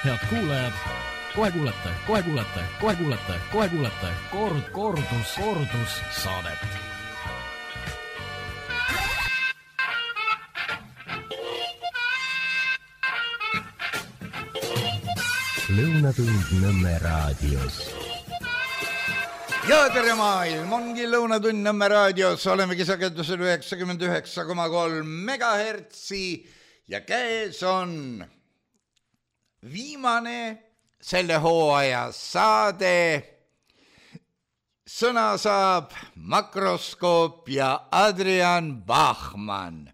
Head kuulajad, kohe kuulete kordus saadet. Lõunatund Nõmme raadios. Ja tere maailm, ongi Lõunatund Nõmme raadios, olemegi sagedusel 99,3 megahertsi ja käes on viimane selle hooaja saade. Sõna saab Makroskoop ja Adrian Bachmann.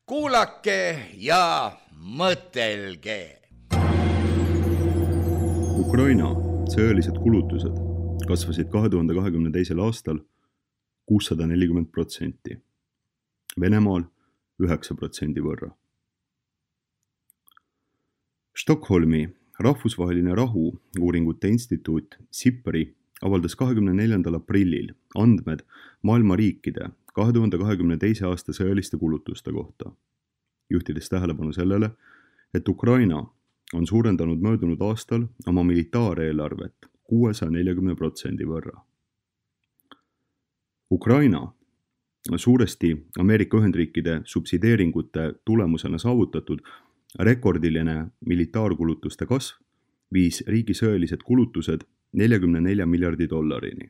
Kuulake ja mõtelge. Ukraina sõjalised kulutused kasvasid 2022. aastal 640%, Venemaal 9% võrra. Stockholmi rahvusvaheline rahu-uuringute instituut SIPRI avaldas 24. aprillil andmed maailma riikide 2022. aasta sõjaliste kulutuste kohta, juhtides tähelepanu sellele, et Ukraina on suurendanud möödunud aastal oma militaareelarvet 640% võrra. Ukraina suuresti Ameerika Ühendriikide subsideeringute tulemusena saavutatud rekordiline militaarkulutuste kasv viis riigi sõjalised kulutused 44 miljardi dollarini.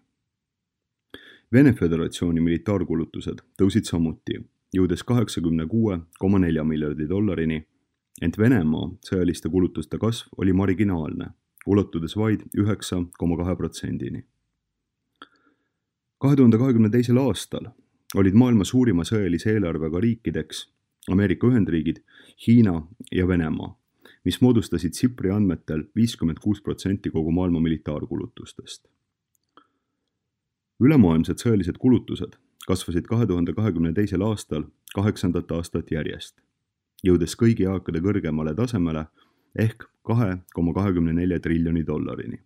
Vene Föderatsiooni militaarkulutused tõusid samuti, jõudes 86,4 miljardi dollarini, ent Venemaa sõjaliste kulutuste kasv oli marginaalne, ulatudes vaid 9,2%-ni. 2022. aastal olid maailma suurima sõjalise eelarvega riikideks Ameerika Ühendriigid, Hiina ja Venemaa, mis moodustasid SIPRI andmetel 56% kogu maailma militaarkulutustest. Ülemaailmsed sõjalised kulutused kasvasid 2022. aastal 8. aastat järjest, jõudes kõigi aegade kõrgemale tasemele ehk 2,24 triljoni dollarini.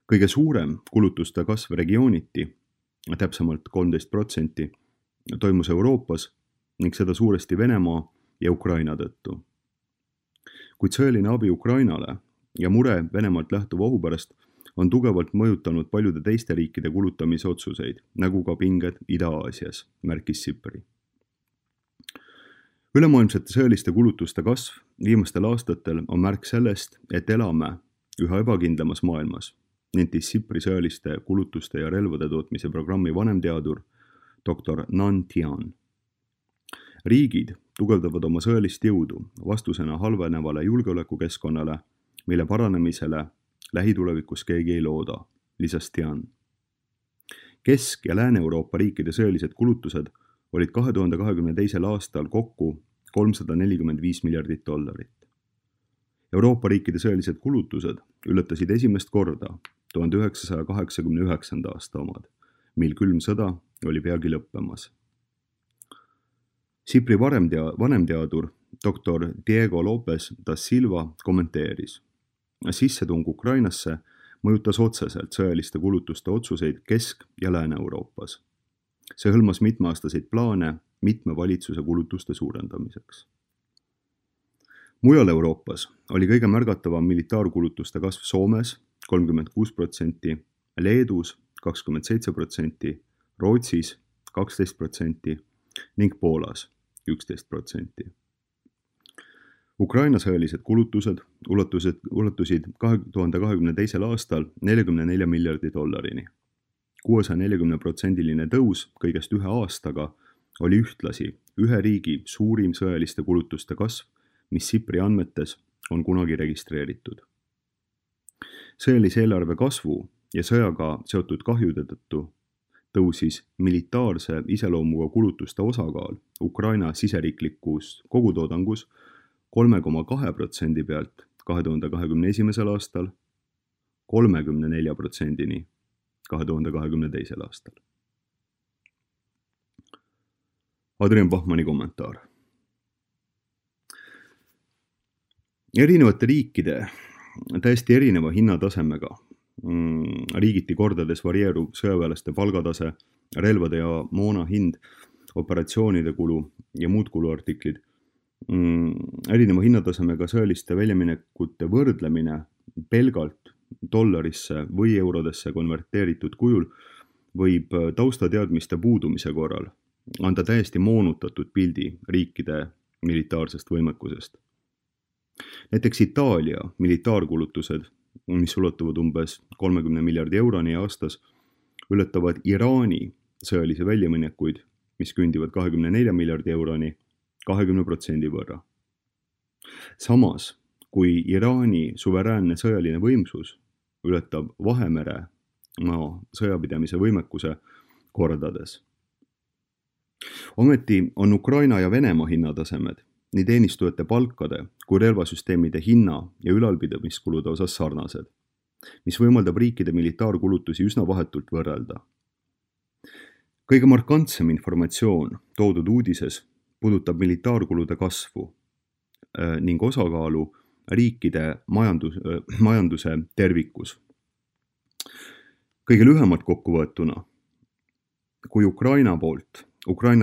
Kõige suurem kulutuste kasv regiooniti, täpsemalt 13%, toimus Euroopas ning seda suuresti Venemaa ja Ukraina tõttu. Kuid sõjaline abi Ukrainale ja mure Venemaalt lähtuva ohu pärast on tugevalt mõjutanud paljude teiste riikide kulutamise otsuseid, nagu ka pinged Ida-Aasias, märkis SIPRI. Ülemaailmsete sõjaliste kulutuste kasv viimastel aastatel on märk sellest, et elame üha ebakindlamas maailmas, nentis SIPRI sõjaliste kulutuste ja relvade tootmise programmi vanemteadur Dr. Nan Tian. Riigid tugevdavad oma sõjalist jõudu vastusena halvenevale julgeolekukeskkonnale, mille paranemisele lähitulevikus keegi ei looda, lisas Tian. Kesk- ja Lääne-Euroopa riikide sõjalised kulutused olid 2022. aastal kokku 345 miljardit dollarit. Euroopa riikide sõjalised kulutused ületasid esimest korda 1989. aasta omad, mil külm sõda oli peagi lõppemas. SIPRI vanemteadur Dr. Diego Lopez da Silva kommenteeris. Sissetung Ukrainasse mõjutas otseselt sõjaliste kulutuste otsuseid Kesk- ja Lääne-Euroopas. See hõlmas mitmeaastaseid plaane mitme valitsuse kulutuste suurendamiseks. Mujal Euroopas oli kõige märgatavam militaarkulutuste kasv Soomes 36%, Leedus 27%, Rootsis 12% ning Poolas 11%. Ukraina sõjalised kulutused ulatusid 2022. aastal 44 miljardi dollarini. 640%-line tõus kõigest ühe aastaga oli ühtlasi ühe riigi suurim sõjaliste kulutuste kasv, mis SIPRI andmetes on kunagi registreeritud. Sõjalise eelarve kasvu ja sõjaga seotud kahjude tõttu tõusis militaarse iseloomuga kulutuste osakaal Ukraina siseriiklikus kogutoodangus 3,2% pealt 2021. aastal 34%-ni 2022. aastal. Adrian Bachmanni kommentaar. Erinevate riikide täiesti erineva hinnatasemega riigiti kordades varieerub sõjaväelaste palgatase, relvade ja moona hind, operatsioonide kulu ja muud kuluartiklid erineva hinnatasemega sõjaliste väljaminekute võrdlemine pelgalt dollarisse või eurodesse konverteeritud kujul võib taustateadmiste puudumise korral anda täiesti moonutatud pildi riikide militaarsest võimekusest. Näiteks Itaalia militaarkulutused, mis ulatuvad umbes 30 miljardi euroni aastas, ületavad Iraani sõjalisi väljaminekuid, mis kündivad 24 miljardi euroni 20% võrra. Samas, kui Iraani suveräänne sõjaline võimsus ületab Vahemere maa sõjapidamise võimekuse kordades. Ometi on Ukraina ja Venemaa hinnatasemed nii teenistujate palkade kui relvasüsteemide hinna ja ülalpidamiskulude osas sarnased, mis võimaldab riikide militaarkulutusi üsna vahetult võrrelda. Kõige markantsem informatsioon toodud uudises puudutab militaarkulude kasvu ning osakaalu riikide majanduse tervikus. Kõige lühemalt kokkuvõetuna, kui Ukraina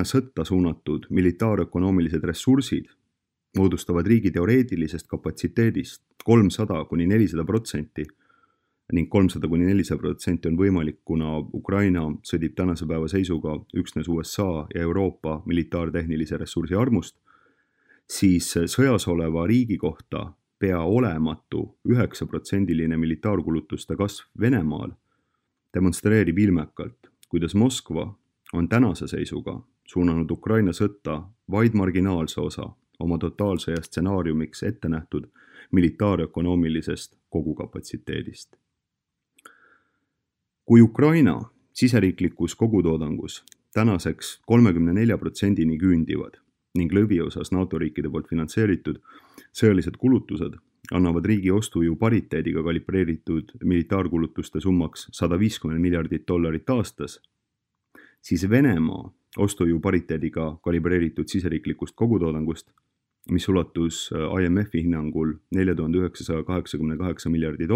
sõtta suunatud militaarökonoomilised ressursid moodustavad riigi teoreetilisest kapatsiteedist 300–400% ning 300–400% on võimalik, kuna Ukraina sõdib tänase päeva seisuga üksnes USA ja Euroopa militaartehnilise ressursi armust, siis sõjas oleva riigi kohta pea olematu 9% militaarkulutuste kasv Venemaal demonstreerib ilmekalt, kuidas Moskva on tänase seisuga suunanud Ukraina sõtta vaid marginaalse osa oma totaalsõja stsenaariumiks ette nähtud militaarökonoomilisest kogukapatsiteedist. Kui Ukraina siseriiklikus kogutoodangus tänaseks 34% küündivad ning lõviosas NATO riikide poolt finantseeritud sõjalised kulutused annavad riigi ostujõu pariteediga kalibreeritud militaarkulutuste summaks $150 miljardit aastas, siis Venemaa ostujõu pariteediga kalibreeritud siseriiklikust kogutoodangust, mis ulatus IMF-i hinnangul $4988 miljardi,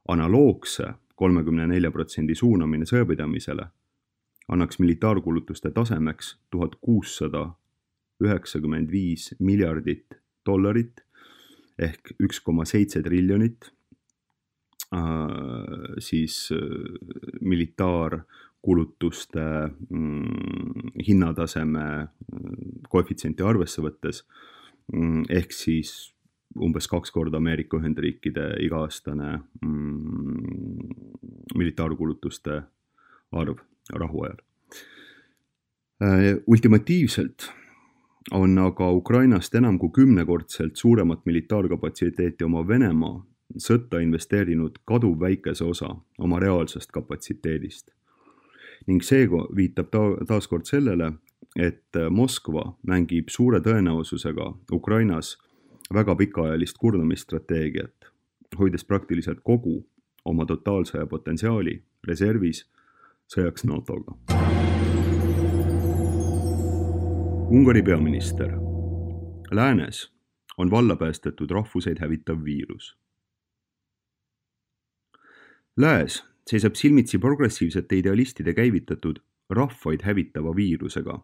analoogse 34% suunamine sõjapidamisele annaks militaarkulutuste tasemeks $1695 miljardit ehk 1,7 triljonit siis militaarkulutuste hinnataseme koefitsienti arvesse võttes ehk siis umbes 2 korda Ameerika Ühendriikide iga-aastane militaarkulutuste arv rahuajal. Ultimatiivselt on aga Ukrainast enam kui 10-kordselt suuremat militaarkapatsiteeti oma Venemaa sõtta investeerinud kaduvväikese osa oma reaalsest kapatsiteedist. Ning see viitab taaskord sellele, et Moskva mängib suure tõenäosusega Ukrainas väga pikaajalist kurnamisstrateegiat, hoides praktiliselt kogu oma totaalsõja potentsiaali reservis sõjaks NATO-ga. Ungari peaminister. Läänes on valla päästetud rahvuseid hävitav viirus. Lääs seisab silmitsi progressiivsete idealistide käivitatud rahvaid hävitava viirusega,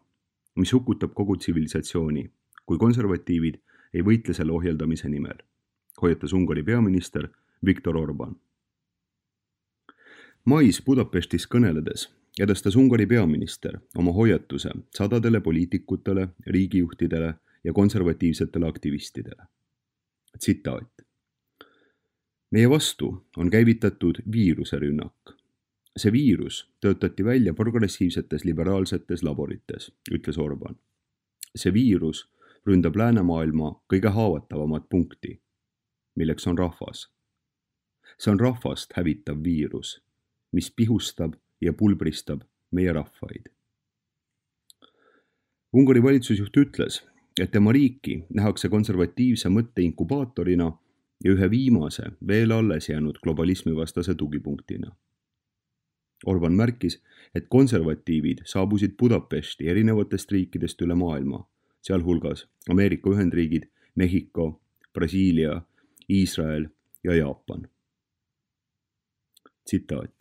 mis hukutab kogu tsivilisatsiooni, kui konservatiivid ei võitle selle ohjeldamise nimel, hoiatas Ungari peaminister Viktor Orbán. Mais Budapestis kõneledes edastas Ungari peaminister oma hoiatuse sadadele poliitikutele, riigijuhtidele ja konservatiivsetele aktivistidele. Tsitaat. Meie vastu on käivitatud viiruserünnak. See viirus töötati välja progressiivsetes liberaalsetes laborites, ütles Orbán. See viirus ründab läänemaailma kõige haavatavamat punkti, milleks on rahvas. See on rahvast hävitav viirus, mis pihustab ja pulbristab meie rahvaid. Ungari valitsusjuht ütles, et tema riiki nähakse konservatiivse mõtte inkubaatorina ja ühe viimase veel alles jäänud globalismivastase tugipunktina. Orbán märkis, et konservatiivid saabusid Budapesti erinevatest riikidest üle maailma, sealhulgas Ameerika Ühendriigid, Mehhiko, Brasiilia, Iisrael ja Jaapan. Tsitaat.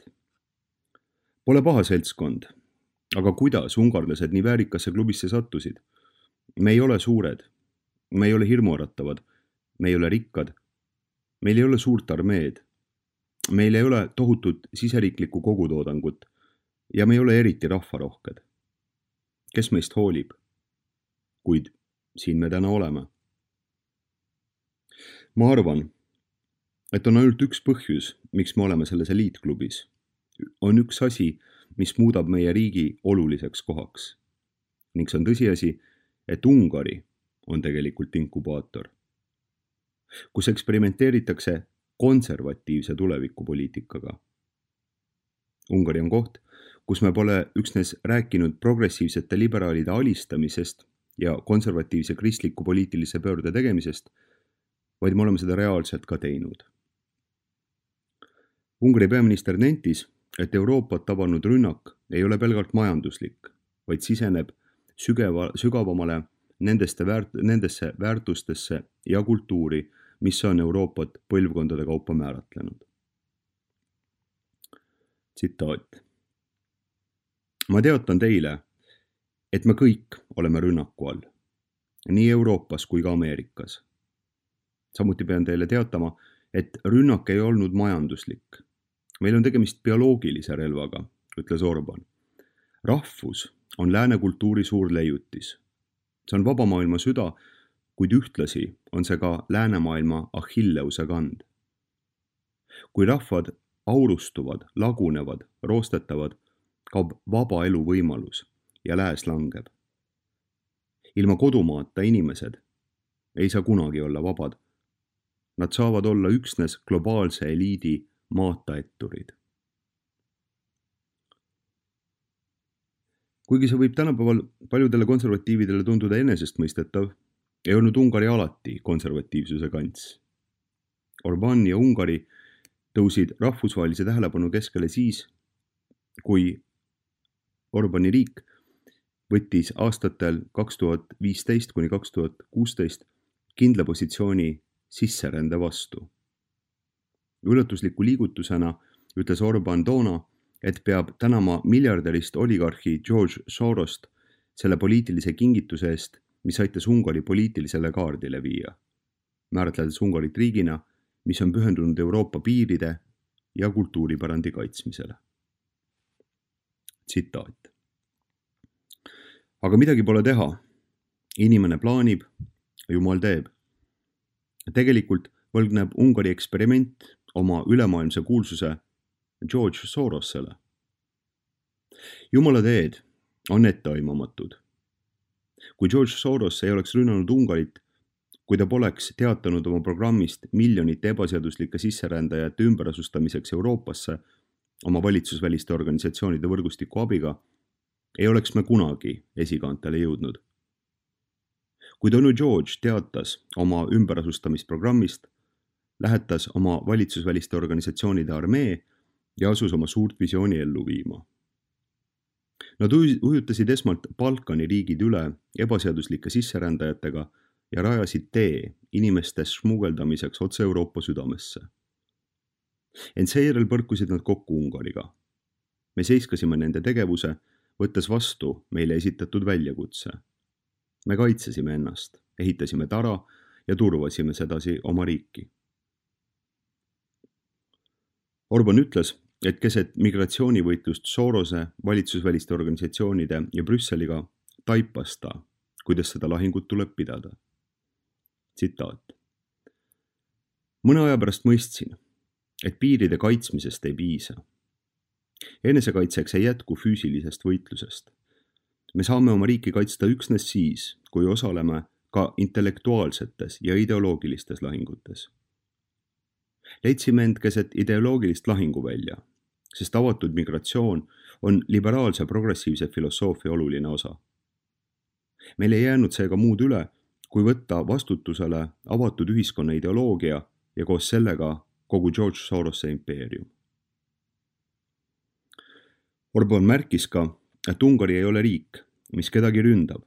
Pole paha seltskond, aga kuidas ungarlased nii väärikasse klubisse sattusid? Me ei ole suured me ei ole hirmuäratavad, me ei ole rikkad, meil ei ole suurt armeed, meil ei ole tohutut siseriiklikku kogutoodangut ja me ei ole eriti rahvarohked. Kes meist hoolib? Kuid siin me täna oleme. Ma arvan, et on ainult üks põhjus, miks me oleme selles eliitklubis. On üks asi, mis muudab meie riigi oluliseks kohaks. Ning see on tõsiasi, et Ungari on tegelikult inkubaator, kus eksperimenteeritakse konservatiivse tulevikupoliitikaga. Ungari on koht, kus me pole üksnes rääkinud progressiivsete liberaalide alistamisest ja konservatiivse kristliku poliitilise pöörde tegemisest, vaid me oleme seda reaalselt ka teinud. Ungari peaminister nentis, et Euroopat tabanud rünnak ei ole pelgalt majanduslik, vaid siseneb sügavamale nendesse väärtustesse ja kultuuri, mis on Euroopat põlvkondade kaupa määratlenud. Tsitaat. Ma teatan teile, et me kõik oleme rünnaku all, nii Euroopas kui ka Ameerikas. Samuti pean teile teatama, et rünnak ei olnud majanduslik. Meil on tegemist bioloogilise relvaga, ütles Orban. Rahvus on lääne kultuuri suur leiutis. See on vaba maailma süda, kuid ühtlasi on see ka läänemaailma Achilleuse kand. Kui rahvad aurustuvad, lagunevad, roostetavad, kaob vaba elu võimalus ja lääs langeb. Ilma kodumaata inimesed ei saa kunagi olla vabad. Nad saavad olla üksnes globaalse eliidi maataetturid. Kuigi see võib tänapäeval paljudele konservatiividele tunduda enesestmõistetav, ei olnud Ungari alati konservatiivsuse kants. Orbán ja Ungari tõusid rahvusvahelise tähelepanu keskele siis, kui Orbáni riik võttis aastatel 2015 kuni 2016 kindla positsiooni sisserände vastu. Üllatusliku liigutusena ütles Orbán toona, et peab tänama miljardärist oligarhi George Sorost selle poliitilise kingituse eest, mis aitas Ungari poliitilisele kaardile viia, määratledes Ungarit riigina, mis on pühendunud Euroopa piiride ja kultuuripärandi kaitsmisele. Tsitaat. Aga midagi pole teha. Inimene plaanib, Jumal teeb. Tegelikult võlgneb Ungari eksperiment oma ülemaailmse kuulsuse George Sorosele. Jumala teed on etteaimamatud. Kui George Soros ei oleks rünnanud Ungarit, kui ta poleks teatanud oma programmist miljonite ebaseaduslike sisserändajate ümberasustamiseks Euroopasse oma valitsusväliste organisatsioonide võrgustiku abiga, ei oleks me kunagi esikaantele jõudnud. Kui Tonu George teatas oma ümberasustamisprogrammist, lähetas oma valitsusväliste organisatsioonide armee ja asus oma suurt visiooni ellu viima. Nad ujutasid esmalt Balkani riigid üle ebaseaduslike sisserändajatega ja rajasid tee inimeste smugeldamiseks otse Euroopa südamesse. Ent seejärel põrkusid nad kokku Ungariga. Me seiskasime nende tegevuse, võttes vastu meile esitatud väljakutse. Me kaitsesime ennast, ehitasime tara ja turvasime sedasi oma riiki. Orbán ütles, et keset migratsioonivõitlust Sorose, valitsusväliste organisatsioonide ja Brüsseliga taipas ta, kuidas seda lahingut tuleb pidada. Tsitaat. Mõne aja pärast mõistsin, et piiride kaitsmisest ei piisa. Enesekaitseks ei jätku füüsilisest võitlusest. Me saame oma riiki kaitsta üksnes siis, kui osaleme ka intellektuaalsetes ja ideoloogilistes lahingutes. Leidsime end keset ideoloogilist lahinguvälja, sest avatud migratsioon on liberaalse progressiivse filosoofia oluline osa. Meil ei jäänud seega muud üle, kui võtta vastutusele avatud ühiskonna ideoloogia ja koos sellega kogu George Sorose impeerium. Orbán märkis ka, et Ungari ei ole riik, mis kedagi ründab,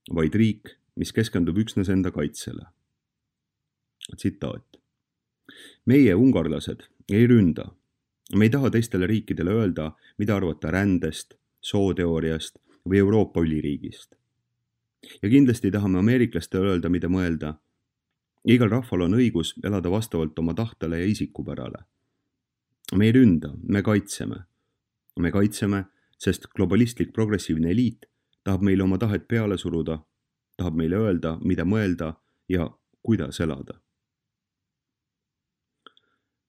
vaid riik, mis keskendub üksnes enda kaitsele. Tsitaat. Meie, ungarlased, ei ründa. Me ei taha teistele riikidele öelda, mida arvata rändest, sooteooriast või Euroopa üliriigist. Ja kindlasti tahame ameeriklastele öelda, mida mõelda. Igal rahval on õigus elada vastavalt oma tahtele ja isikupärale. Me ei ründa, me kaitseme. Me kaitseme, sest globalistlik progressiivne eliit tahab meile oma tahet peale suruda, tahab meile öelda, mida mõelda ja kuidas elada.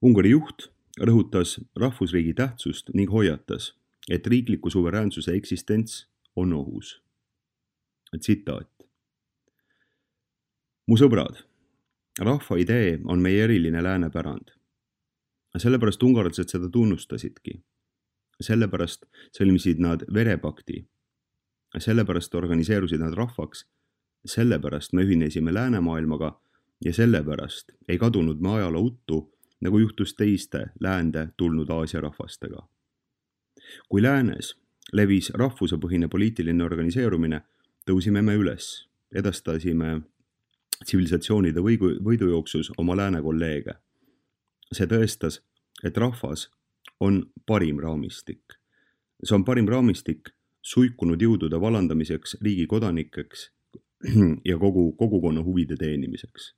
Ungari juht rõhutas rahvusriigi tähtsust ning hoiatas, et riikliku suveräänsuse eksistents on ohus. Tsitaat. Mu sõbrad, rahva idee on meie eriline läänepärand. Sellepärast ungarlased seda tunnustasidki. Sellepärast sõlmisid nad verepakti. Sellepärast organiseerusid nad rahvaks. Sellepärast me ühinesime läänemaailmaga ja sellepärast ei kadunud me ajaloo uttu, nagu juhtus teiste läände tulnud Aasia rahvastega. Kui läänes levis rahvusepõhine poliitiline organiseerumine, tõusime me üles, edastasime tsivilisatsioonide võidujooksus oma lääne kolleege. See tõestas, et rahvas on parim raamistik. See on parim raamistik suikunud jõudude vallandamiseks riigi kodanikeks ja kogukonna huvide teenimiseks.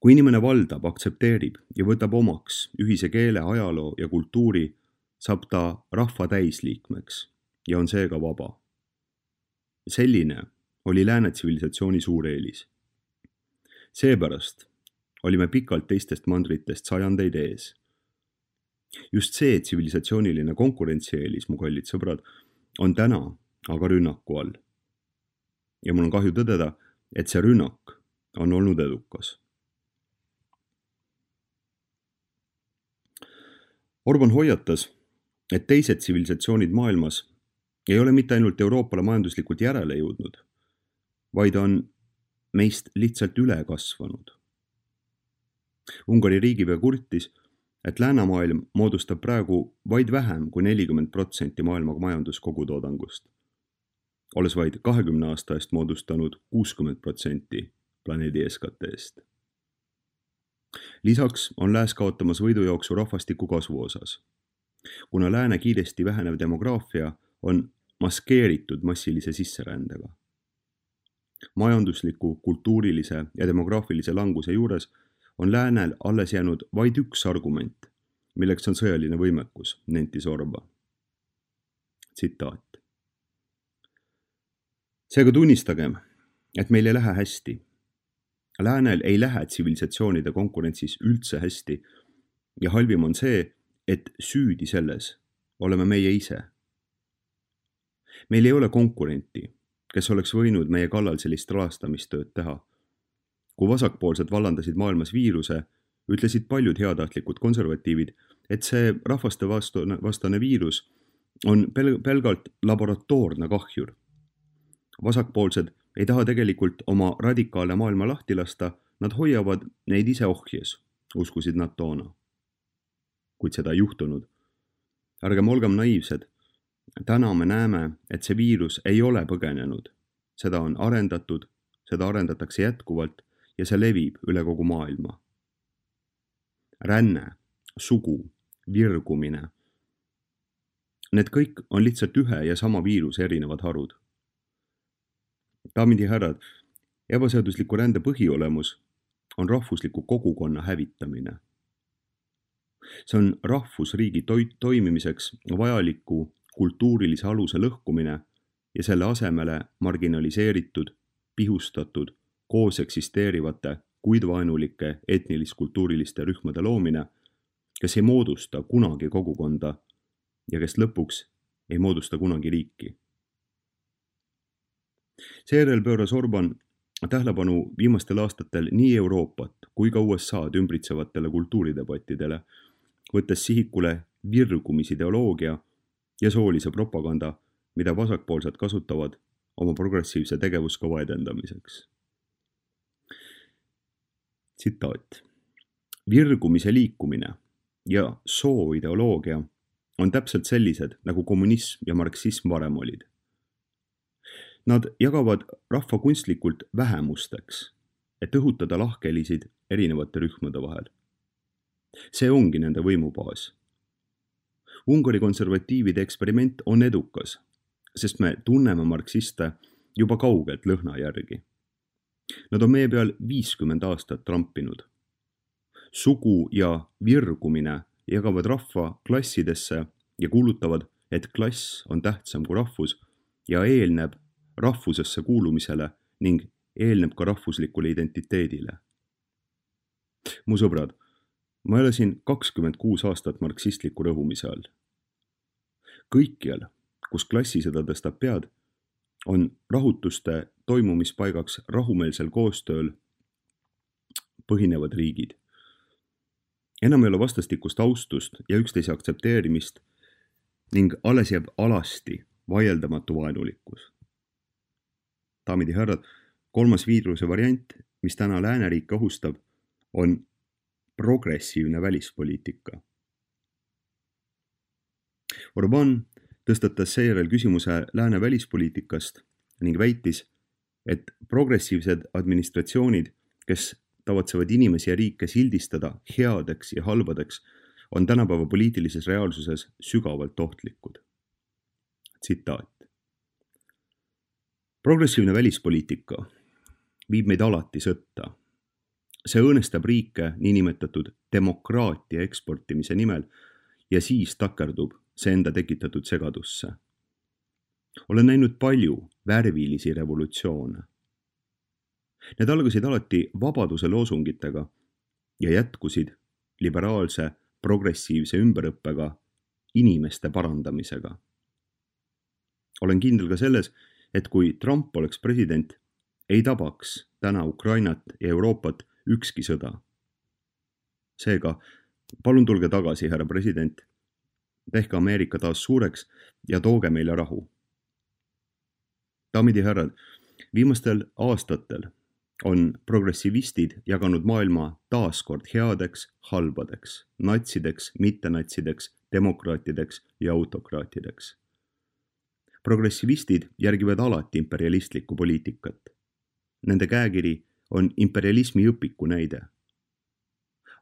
Kui inimene valdab, aktsepteerib ja võtab omaks ühise keele, ajaloo ja kultuuri, saab ta rahva täisliikmeks ja on seega vaba. Selline oli lääne tsivilisatsiooni suur eelis. Seepärast olime pikalt teistest mandritest sajandeid ees. Just see tsivilisatsiooniline konkurentsieelis, mu kallid sõbrad, on täna aga rünnaku all. Ja mul on kahju tõdeda, et see rünnak on olnud edukas. Orban hoiatas, et teised tsivilisatsioonid maailmas ei ole mitte ainult Euroopale majanduslikult järele jõudnud, vaid on meist lihtsalt üle kasvanud. Ungari riigipea kurtis, et läänemaailm moodustab praegu vaid vähem kui 40% maailma majanduskogutoodangust, olles vaid 20 aasta eest moodustanud 60% planeedi SKT-st. Lisaks on lääs kaotamas võidujooksu rahvastiku kasvu osas, kuna lääne kiiresti vähenev demograafia on maskeeritud massilise sisserändega. Majandusliku, kultuurilise ja demograafilise languse juures on läänel alles jäänud vaid üks argument, milleks on sõjaline võimekus, nentis Orban. Tsitaat. Seega tunnistagem, et meil ei lähe hästi. Läänel ei lähe tsivilisatsioonide konkurentsis üldse hästi ja halvim on see, et süüdi selles oleme meie ise. Meil ei ole konkurenti, kes oleks võinud meie kallal sellist rahastamistööd teha. Kui vasakpoolsed vallandasid maailmas viiruse, ütlesid paljud heatahtlikud konservatiivid, et see rahvaste vastane viirus on pelgalt laboratoorne kahjur. Vasakpoolsed ei taha tegelikult oma radikaale maailma lahti lasta, nad hoiavad neid ise ohjes, uskusid nad toona. Kuid seda ei juhtunud. Ärgem olgem naiivsed. Täna me näeme, et see viirus ei ole põgenenud. Seda on arendatud, seda arendatakse jätkuvalt ja see levib üle kogu maailma. Ränne, sugu, virgumine. Need kõik on lihtsalt ühe ja sama viiruse erinevad harud. Daamid ja härrad, ebaseadusliku rände põhiolemus on rahvusliku kogukonna hävitamine. See on rahvusriigi toimimiseks vajaliku kultuurilise aluse lõhkumine ja selle asemele marginaliseeritud, pihustatud, koos eksisteerivate, kuid vaenulike etnilis-kultuuriliste rühmade loomine, kes ei moodusta kunagi kogukonda ja kes lõpuks ei moodusta kunagi riiki. Seejärel pööras Orban tähelepanu viimastel aastatel nii Euroopat kui ka USA'd ümbritsevatele kultuuridebattidele, võttes sihikule virgumisideoloogia ja soolise propaganda, mida vasakpoolsed kasutavad oma progressiivse tegevuskava edendamiseks. Tsitaat. Virgumise liikumine ja sooideoloogia on täpselt sellised, nagu kommunism ja marksism varem olid. Nad jagavad rahva kunstlikult vähemusteks, et õhutada lahkhelisid erinevate rühmade vahel. See ongi nende võimubaas. Ungari konservatiivide eksperiment on edukas, sest me tunneme marksiste juba kaugelt lõhna järgi. Nad on meie peal 50 aastat trampinud. Sugu ja virgumine jagavad rahva klassidesse ja kuulutavad, et klass on tähtsam kui rahvus ja eelneb rahvusesse kuulumisele ning eelneb ka rahvuslikule identiteedile. Mu sõbrad, ma elasin 26 aastat marksistliku rõhumise all. Kõikjal, kus klassisõda tõstab pead, on rahutuste toimumispaigaks rahumeelsel koostööl põhinevad riigid. Enam ei ole vastastikust austust ja üksteise aktsepteerimist ning alles jääb alasti vaieldamatu vaenulikkus. Daamid ja härrad, 3. viiruse variant, mis täna lääneriike ohustab, on progressiivne välispoliitika. Orbán tõstatas seejärel küsimuse lääne välispoliitikast ning väitis, et progressiivsed administratsioonid, kes tavatsevad inimesi ja riike sildistada headeks ja halbadeks, on tänapäeva poliitilises reaalsuses sügavalt ohtlikud. Tsitaat. Progressiivne välispoliitika viib meid alati sõtta. See õõnestab riike niinimetatud demokraatia eksportimise nimel ja siis takerdub see enda tekitatud segadusse. Olen näinud palju värvilisi revolutsioone. Need algasid alati vabaduse loosungitega ja jätkusid liberaalse, progressiivse ümberõppega, inimeste parandamisega. Olen kindel ka selles, et kui Trump oleks president, ei tabaks täna Ukrainat ja Euroopat ükski sõda. Seega, palun tulge tagasi, härra president, tehke Ameerika taas suureks ja tooge meile rahu. Daamid ja härrad, viimastel aastatel on progressivistid jaganud maailma taaskord headeks, halbadeks, natsideks, mittenatsideks, demokraatideks ja autokraatideks. Progressivistid järgivad alati imperialistlikku poliitikat. Nende käekiri on imperialismi õpiku näide.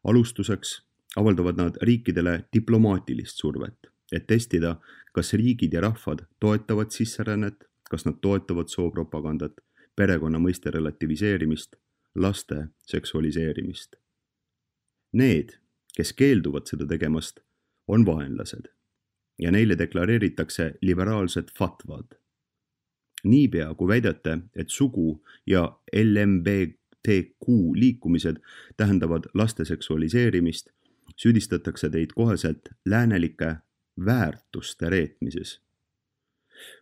Alustuseks avaldavad nad riikidele diplomaatilist survet, et testida, kas riigid ja rahvad toetavad sisserännet, kas nad toetavad soopropagandat, perekonna mõiste relativiseerimist, laste seksualiseerimist. Need, kes keelduvad seda tegemast, on vaenlased ja neile deklareeritakse liberaalsed fatvad. Niipea, kui väidate, et sugu ja LMBTQ liikumised tähendavad laste seksualiseerimist, süüdistatakse teid koheselt läänelike väärtuste reetmises.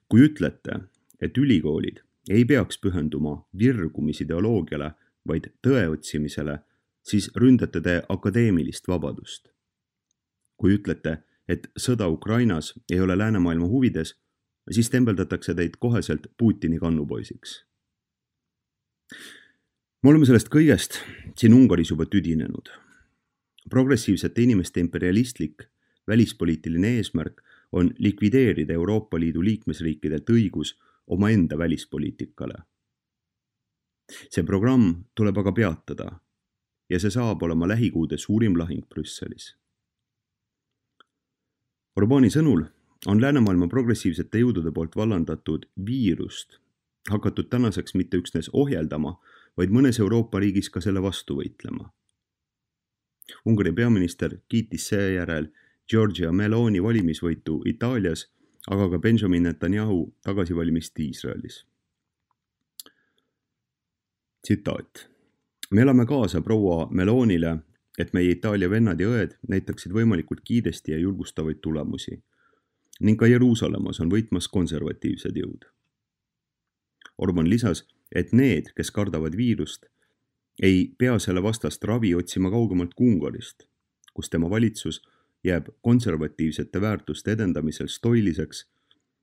Kui ütlete, et ülikoolid ei peaks pühenduma virgumisideoloogiale, vaid tõe otsimisele, siis ründate te akadeemilist vabadust. Kui ütlete, et sõda Ukrainas ei ole läänemaailma huvides, siis tembeldatakse teid koheselt Putini kannupoisiks. Me oleme sellest kõigest siin Ungaris juba tüdinenud. Progressiivsete inimeste imperialistlik välispoliitiline eesmärk on likvideerida Euroopa Liidu liikmesriikidelt õigus omaenda välispoliitikale. See programm tuleb aga peatada ja see saab olema lähikuude suurim lahing Brüsselis. Orbáni sõnul on läänemaailma progressiivsete jõudude poolt vallandatud viirust hakatud tänaseks mitte üksnes ohjeldama, vaid mõnes Euroopa riigis ka selle vastu võitlema. Ungari peaminister kiitis seejärel Giorgia Meloni valimisvõitu Itaalias, aga ka Benjamin Netanyahu tagasivalimist Iisraelis. Tsitaat. Me elame kaasa proua Melonile, et meie Itaalia vennad ja õed näitaksid võimalikult kiiresti ja julgustavaid tulemusi ning ka Jeruusalemmas on võitmas konservatiivsed jõud. Orbán lisas, et need, kes kardavad viirust, ei pea selle vastast ravi otsima kaugemalt kui Ungarist, kus tema valitsus jääb konservatiivsete väärtuste edendamisel stoiliseks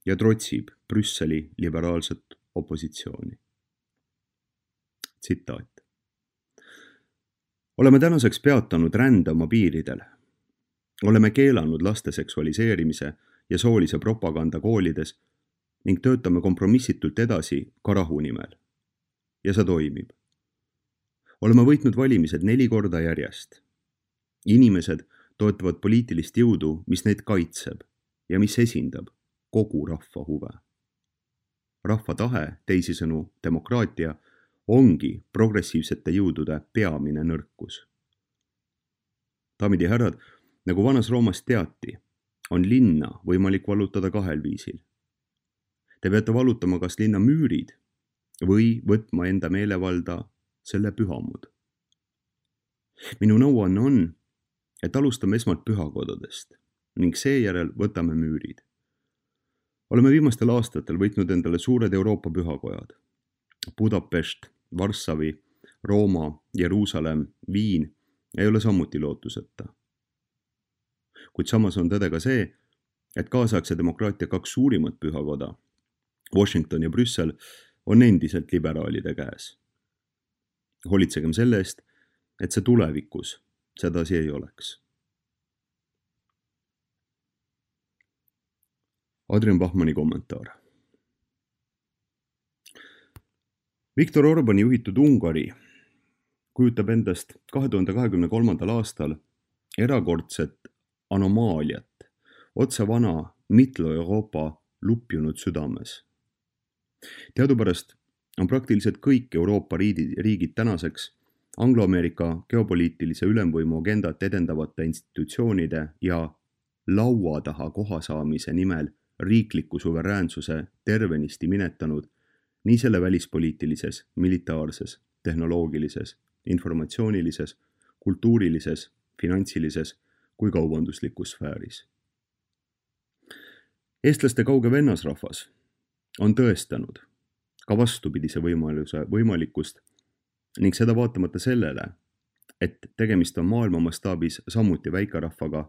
ja trotsib Brüsseli liberaalset opositsiooni. Tsitaat. Oleme tänaseks peatanud rände oma piiridel. Oleme keelanud laste seksualiseerimise ja soolise propaganda koolides ning töötame kompromissitult edasi ka rahu nimel. Ja see toimib. Oleme võitnud valimised 4 korda järjest. Inimesed toetavad poliitilist jõudu, mis neid kaitseb ja mis esindab kogu rahva huve. rahva tahe, teisisõnu demokraatia, ongi progressiivsete jõudude peamine nõrkus. Daamid ja härrad, nagu vanas Roomas teati, on linna võimalik vallutada kahel viisil. Te peate vallutama kas linna müürid või võtma enda meelevalda selle pühamud. Minu nõuanne on, et alustame esmalt pühakodadest ning seejärel võtame müürid. Oleme viimastel aastatel võitnud endale suured Euroopa pühakojad. Budapest, Varssavi, Rooma, Jeruusalemm, Viin ei ole samuti lootuseta. Kuid samas on tõde ka see, et kaasaegse demokraatia kaks suurimat pühakoda, Washington ja Brüssel, on endiselt liberaalide käes. Hoolitsegem selle eest, et see tulevikus sedasi ei oleks. Adrian Bachmanni kommentaar. Viktor Orbani juhitud Ungari kujutab endast 2023. aastal erakordset anomaaliat otse vana Mitlo-Euroopa lupjunud südames. Teadupärast on praktiliselt kõik Euroopa riigid tänaseks Anglo-Ameerika geopoliitilise ülemvõimu agendat edendavate institutsioonide ja laua taha koha saamise nimel riikliku suveräänsuse tervenisti minetanud nii selle välispoliitilises, militaarses, tehnoloogilises, informatsioonilises, kultuurilises, finantsilises kui kaubanduslikus sfääris. Eestlaste kauge vennasrahvas on tõestanud ka vastupidise võimalikkust ning seda vaatamata sellele, et tegemist on maailma mastaabis samuti väikerahvaga,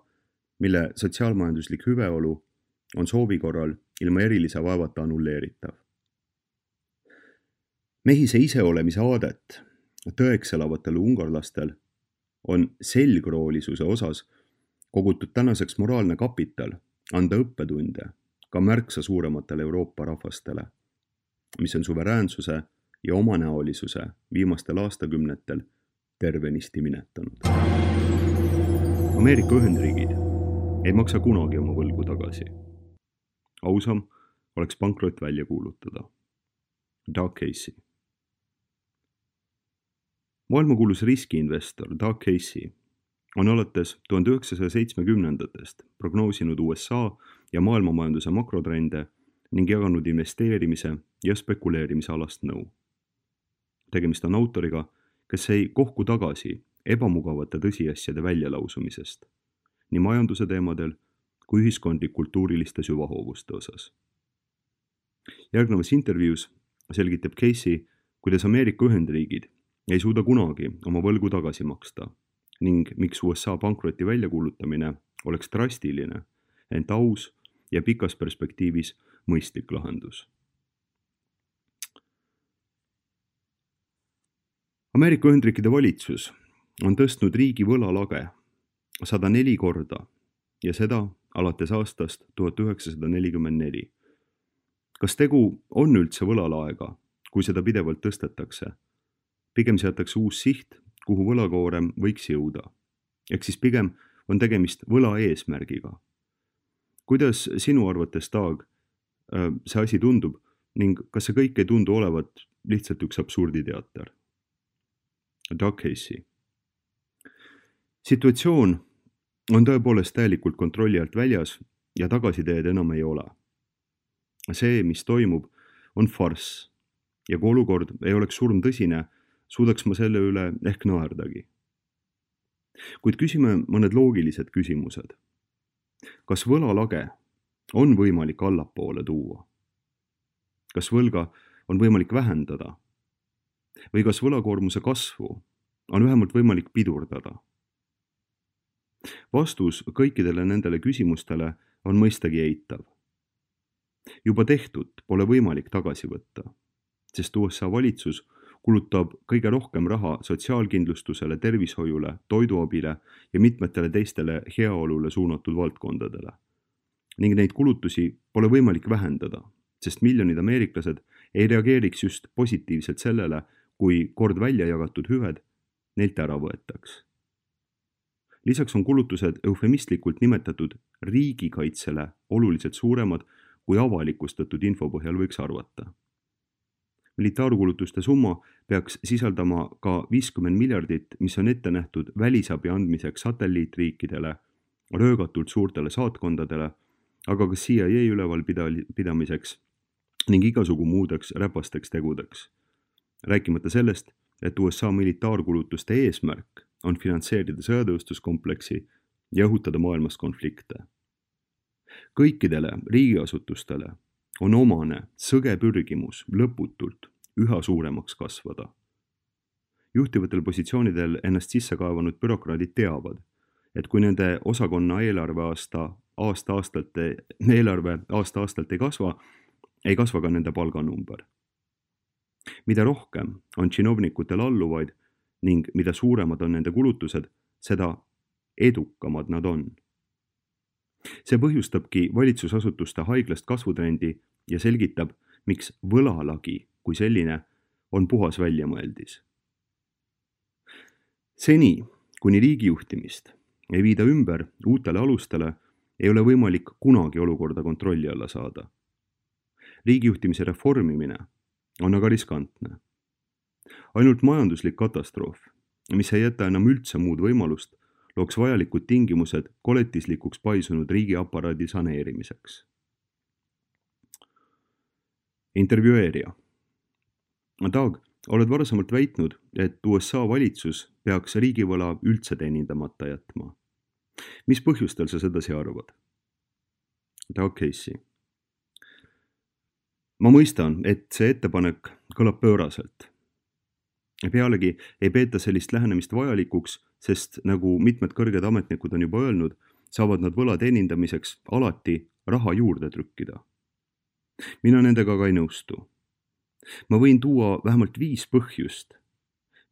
mille sotsiaalmajanduslik hüveolu on soovi korral ilma erilise vaevata annulleeritav. Mehise iseolemise aadet tõeks elavatel ungarlastel on selgroolisuse osas kogutud tänaseks moraalne kapital anda õppetunde ka märksa suurematele Euroopa rahvastele, mis on suveräänsuse ja omanäolisuse viimastel aastakümnetel tervenisti minetanud. Ameerika Ühendriigid ei maksa kunagi oma võlgu tagasi. Ausam oleks pankrot välja kuulutada. Doug Casey. Maailmakuulus riskiinvestor Doug Casey on alates 1970-ndatest prognoosinud USA ja maailmamajanduse makrotrende ning jaganud investeerimise ja spekuleerimise alast nõu. Tegemist on autoriga, kes ei kohku tagasi ebamugavate tõsiasjade väljalausumisest, nii majanduse teemadel kui ühiskondlik-kultuuriliste süvahoovuste osas. Järgnevas intervjuus selgitab Casey, kuidas Ameerika Ühendriigid ei suuda kunagi oma võlgu tagasi maksta ning miks USA pankroti väljakuulutamine oleks drastiline, ent aus ja pikas perspektiivis mõistlik lahendus. Ameerika Ühendriikide valitsus on tõstnud riigi võlalage 104 korda ja seda alates aastast 1944. Kas tegu on üldse võlalaega, kui seda pidevalt tõstetakse? Pigem seatakse uus siht, kuhu võlakoorem võiks jõuda. Ehk siis pigem on tegemist võla eesmärgiga. Kuidas sinu arvates, Doug, see asi tundub ning kas see kõik ei tundu olevat lihtsalt üks absurditeater? Doug Casey. Situatsioon on tõepoolest täielikult kontrolli alt väljas ja tagasiteed enam ei ole. See, mis toimub, on farss ja kui olukord ei oleks surm tõsine, suudaks ma selle üle ehk naerdagi. Kuid küsime mõned loogilised küsimused. Kas võlalage on võimalik allapoole tuua? Kas võlga on võimalik vähendada? Või kas võlakoormuse kasvu on vähemalt võimalik pidurdada? Vastus kõikidele nendele küsimustele on mõistagi eitav. Juba tehtud pole võimalik tagasi võtta, sest USA valitsus kulutab kõige rohkem raha sotsiaalkindlustusele, tervishoiule, toiduabile ja mitmetele teistele heaolule suunatud valdkondadele. Ning neid kulutusi pole võimalik vähendada, sest miljonid ameeriklased ei reageeriks just positiivselt sellele, kui kord välja jagatud hüved neilt ära võetaks. Lisaks on kulutused eufemistlikult nimetatud riigikaitsele oluliselt suuremad, kui avalikustatud info põhjal võiks arvata. militaarkulutuste summa peaks sisaldama ka 50 miljardit, mis on ette nähtud välisabi andmiseks satelliitriikidele, röögatult suurtele saatkondadele, aga ka CIA ülevalpidamiseks ning igasugu muudeks räpasteks tegudeks. Rääkimata sellest, et USA militaarkulutuste eesmärk on finantseerida sõjatööstuskompleksi ja õhutada maailmas konflikte. Kõikidele riigiasutustele on omane sõge pürgimus lõputult üha suuremaks kasvada. Juhtivatel positsioonidel ennast sisse kaevanud bürokraadid teavad, et kui nende osakonna eelarve aasta-aastalt ei kasva ka nende palganumber. Mida rohkem on činovnikutel alluvaid ning mida suuremad on nende kulutused, seda edukamad nad on. See põhjustabki valitsusasutuste haiglast kasvutrendi ja selgitab, miks võlalagi kui selline on puhas väljamõeldis. Seni, kuni riigijuhtimist ei viida ümber uutele alustele, ei ole võimalik kunagi olukorda kontrolli alla saada. Riigijuhtimise reformimine on aga riskantne. Ainult majanduslik katastroof, mis ei jäta enam üldse muud võimalust, looks vajalikud tingimused koletislikuks paisunud riigiaparaadi saneerimiseks. Intervjueerija. Doug, oled varasemalt väitnud, et USA valitsus peaks riigivõla üldse teenindamata jätma. Mis põhjustel sa sedasi arvad? Doug Casey. Ma mõistan, et see ettepanek kõlab pööraselt. Pealegi ei peeta sellist lähenemist vajalikuks, sest nagu mitmed kõrged ametnikud on juba öelnud, saavad nad võla teenindamiseks alati raha juurde trükkida. Mina nendega ka ei nõustu. Ma võin tuua vähemalt 5 põhjust,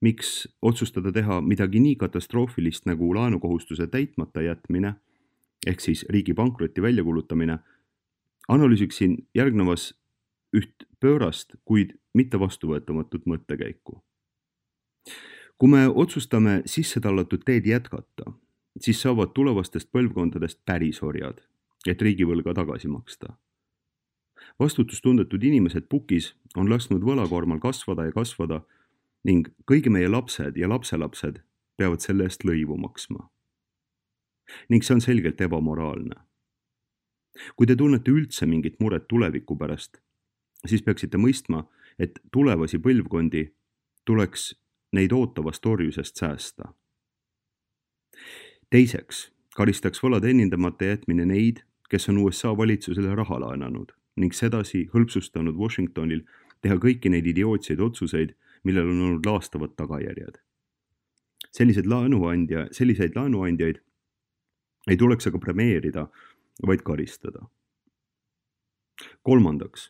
miks otsustada teha midagi nii katastroofilist nagu laenukohustuse täitmata jätmine, ehk siis riigi pankroti väljakuulutamine, analüüsiksin järgnevas üht pöörast, kuid mitte vastuvõetamatut mõttekäiku. Kui me otsustame sisse tallatud teed jätkata, siis saavad tulevastest põlvkondadest päris orjad, et riigivõlga tagasi maksta. Vastutustundetud inimesed pukis on lasknud võlakoormal kasvada ja kasvada ning kõigi meie lapsed ja lapselapsed peavad selle eest lõivu maksma. Ning see on selgelt ebamoraalne. Kui te tunnete üldse mingit muret tuleviku pärast, siis peaksite mõistma, et tulevasi põlvkondi tuleks neid ootavast orjusest säästa. Teiseks, karistaks võla teenindamata jätmine neid, kes on USA valitsusele raha laenanud ning sedasi hõlpsustanud Washingtonil teha kõiki neid idiootseid otsuseid, millel on olnud laastavad tagajärjed. Selliseid laenuandjaid ei tuleks aga premeerida, vaid karistada. Kolmandaks,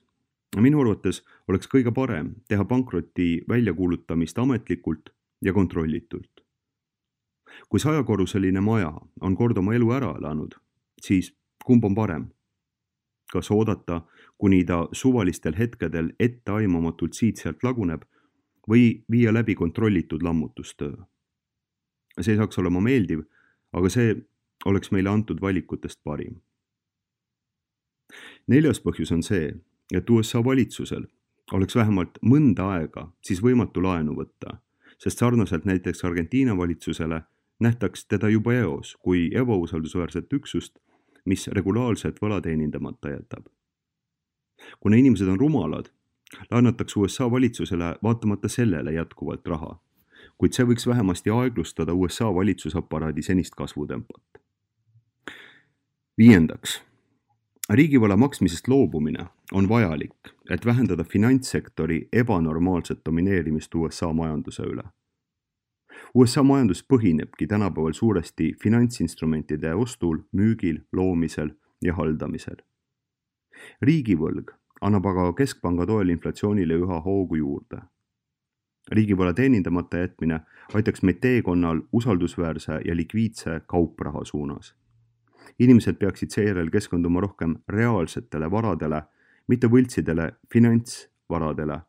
minu arvates oleks kõige parem teha pankroti väljakuulutamist ametlikult ja kontrollitult. Kui 100-korruseline maja on kord oma elu ära elanud, siis kumb on parem? Kas oodata, kuni ta suvalistel hetkedel etteaimamatult siit-sealt laguneb või viia läbi kontrollitud lammutustöö? See saaks olema meeldiv, aga see oleks meile antud valikutest parim. 4. põhjus on see, et USA valitsusel oleks vähemalt mõnda aega siis võimatu laenu võtta, sest sarnaselt näiteks Argentiina valitsusele nähtaks teda juba eos kui ebausaldusväärset üksust, mis regulaarselt võla teenindamata jätab. Kuna inimesed on rumalad, laenatakse USA valitsusele vaatamata sellele jätkuvalt raha, kuid see võiks vähemasti aeglustada USA valitsusaparaadi senist kasvutempot. 5. Riigivõla maksmisest loobumine on vajalik, et vähendada finantssektori ebanormaalset domineerimist USA majanduse üle. USA majandus põhinebki tänapäeval suuresti finantsinstrumentide ostul, müügil, loomisel ja haldamisel. Riigivõlg annab aga keskpanga toel inflatsioonile üha hoogu juurde. Riigivõla teenindamata jätmine aitaks meid teekonnal usaldusväärse ja likviidse kaupraha suunas. Inimesed peaksid seejärel keskenduma rohkem reaalsetele varadele, mitte võltsidele finantsvaradele,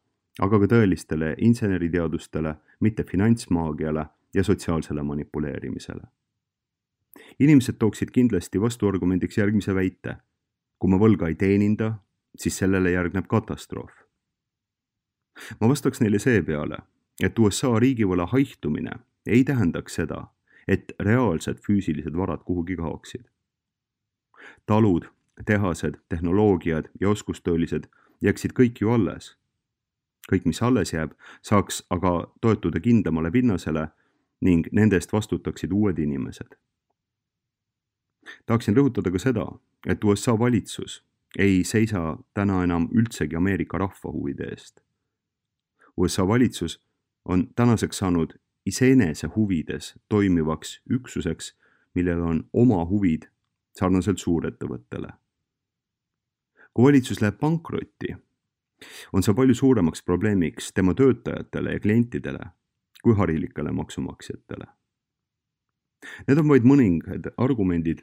aga ka tõelistele inseneriteadustele, mitte finantsmaagiale ja sotsiaalsele manipuleerimisele. Inimesed tooksid kindlasti vastuargumendiks järgmise väite. Kui ma võlga ei teeninda, siis sellele järgneb katastroof. ma vastaks neile seepeale, et USA riigivõla haihtumine ei tähendaks seda, et reaalsed füüsilised varad kuhugi kaoksid. Talud, tehased, tehnoloogiad ja oskustöölised jääksid kõik ju alles. Kõik, mis alles jääb, saaks aga toetuda kindlamale pinnasele ning nende eest vastutaksid uued inimesed. Tahaksin rõhutada ka seda, et USA valitsus ei seisa täna enam üldsegi Ameerika rahva huvide eest. USA valitsus on tänaseks saanud iseenese huvides toimivaks üksuseks, millel on oma huvid sarnaselt suurettevõttele. Kui valitsus läheb pankrotti, on see palju suuremaks probleemiks tema töötajatele ja klientidele kui harilikele maksumaksjatele. Need on vaid mõningad argumendid,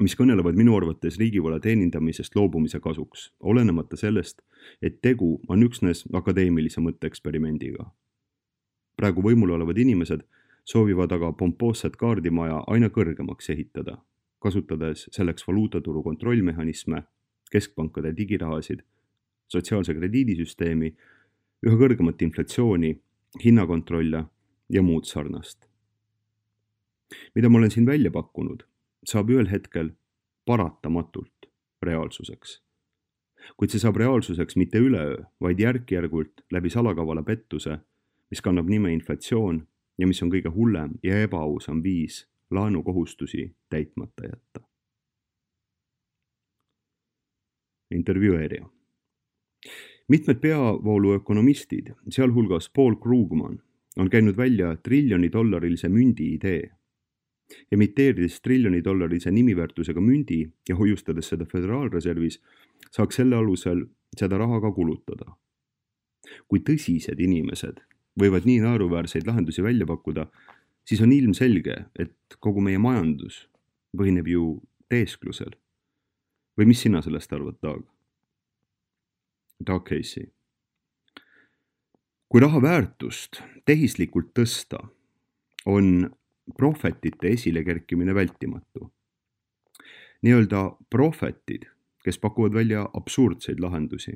mis kõnelevad minu arvates riigivõla teenindamisest loobumise kasuks, olenemata sellest, et tegu on üksnes akadeemilise mõtteeksperimendiga. Praegu võimul olevad inimesed soovivad aga pompoosset kaardimaja aina kõrgemaks ehitada, kasutades selleks valuutaturu kontrollmehhanisme, keskpankade digirahasid, sotsiaalse krediidisüsteemi, üha kõrgemat inflatsiooni, hinnakontrolle ja muud sarnast. Mida ma olen siin välja pakkunud, saab ühel hetkel paratamatult reaalsuseks. Kuid see saab reaalsuseks mitte üleöö, vaid järk-järgult läbi salakavala pettuse, mis kannab nime inflatsioon ja mis on kõige hullem ja ebaausam viis laenukohustusi täitmata jätta. Intervjueerija. Mitmed peavooluökonomistid, sealhulgas Paul Krugman, on käinud välja $1 trillioni mündi idee. Emiteerides $1 trillioni nimiväärtusega mündi ja hoiustades seda Föderaalreservis, saaks selle alusel seda raha ka kulutada. Kui tõsised inimesed võivad nii naeruväärseid lahendusi välja pakkuda, siis on ilmselge, et kogu meie majandus põhineb ju teesklusel. Või mis sina sellest arvad, Doug? Doug Casey. Kui raha väärtust tehislikult tõsta, on prohvetite esile kerkimine vältimatu. Nii-öelda prohvetid, kes pakuvad välja absurdseid lahendusi.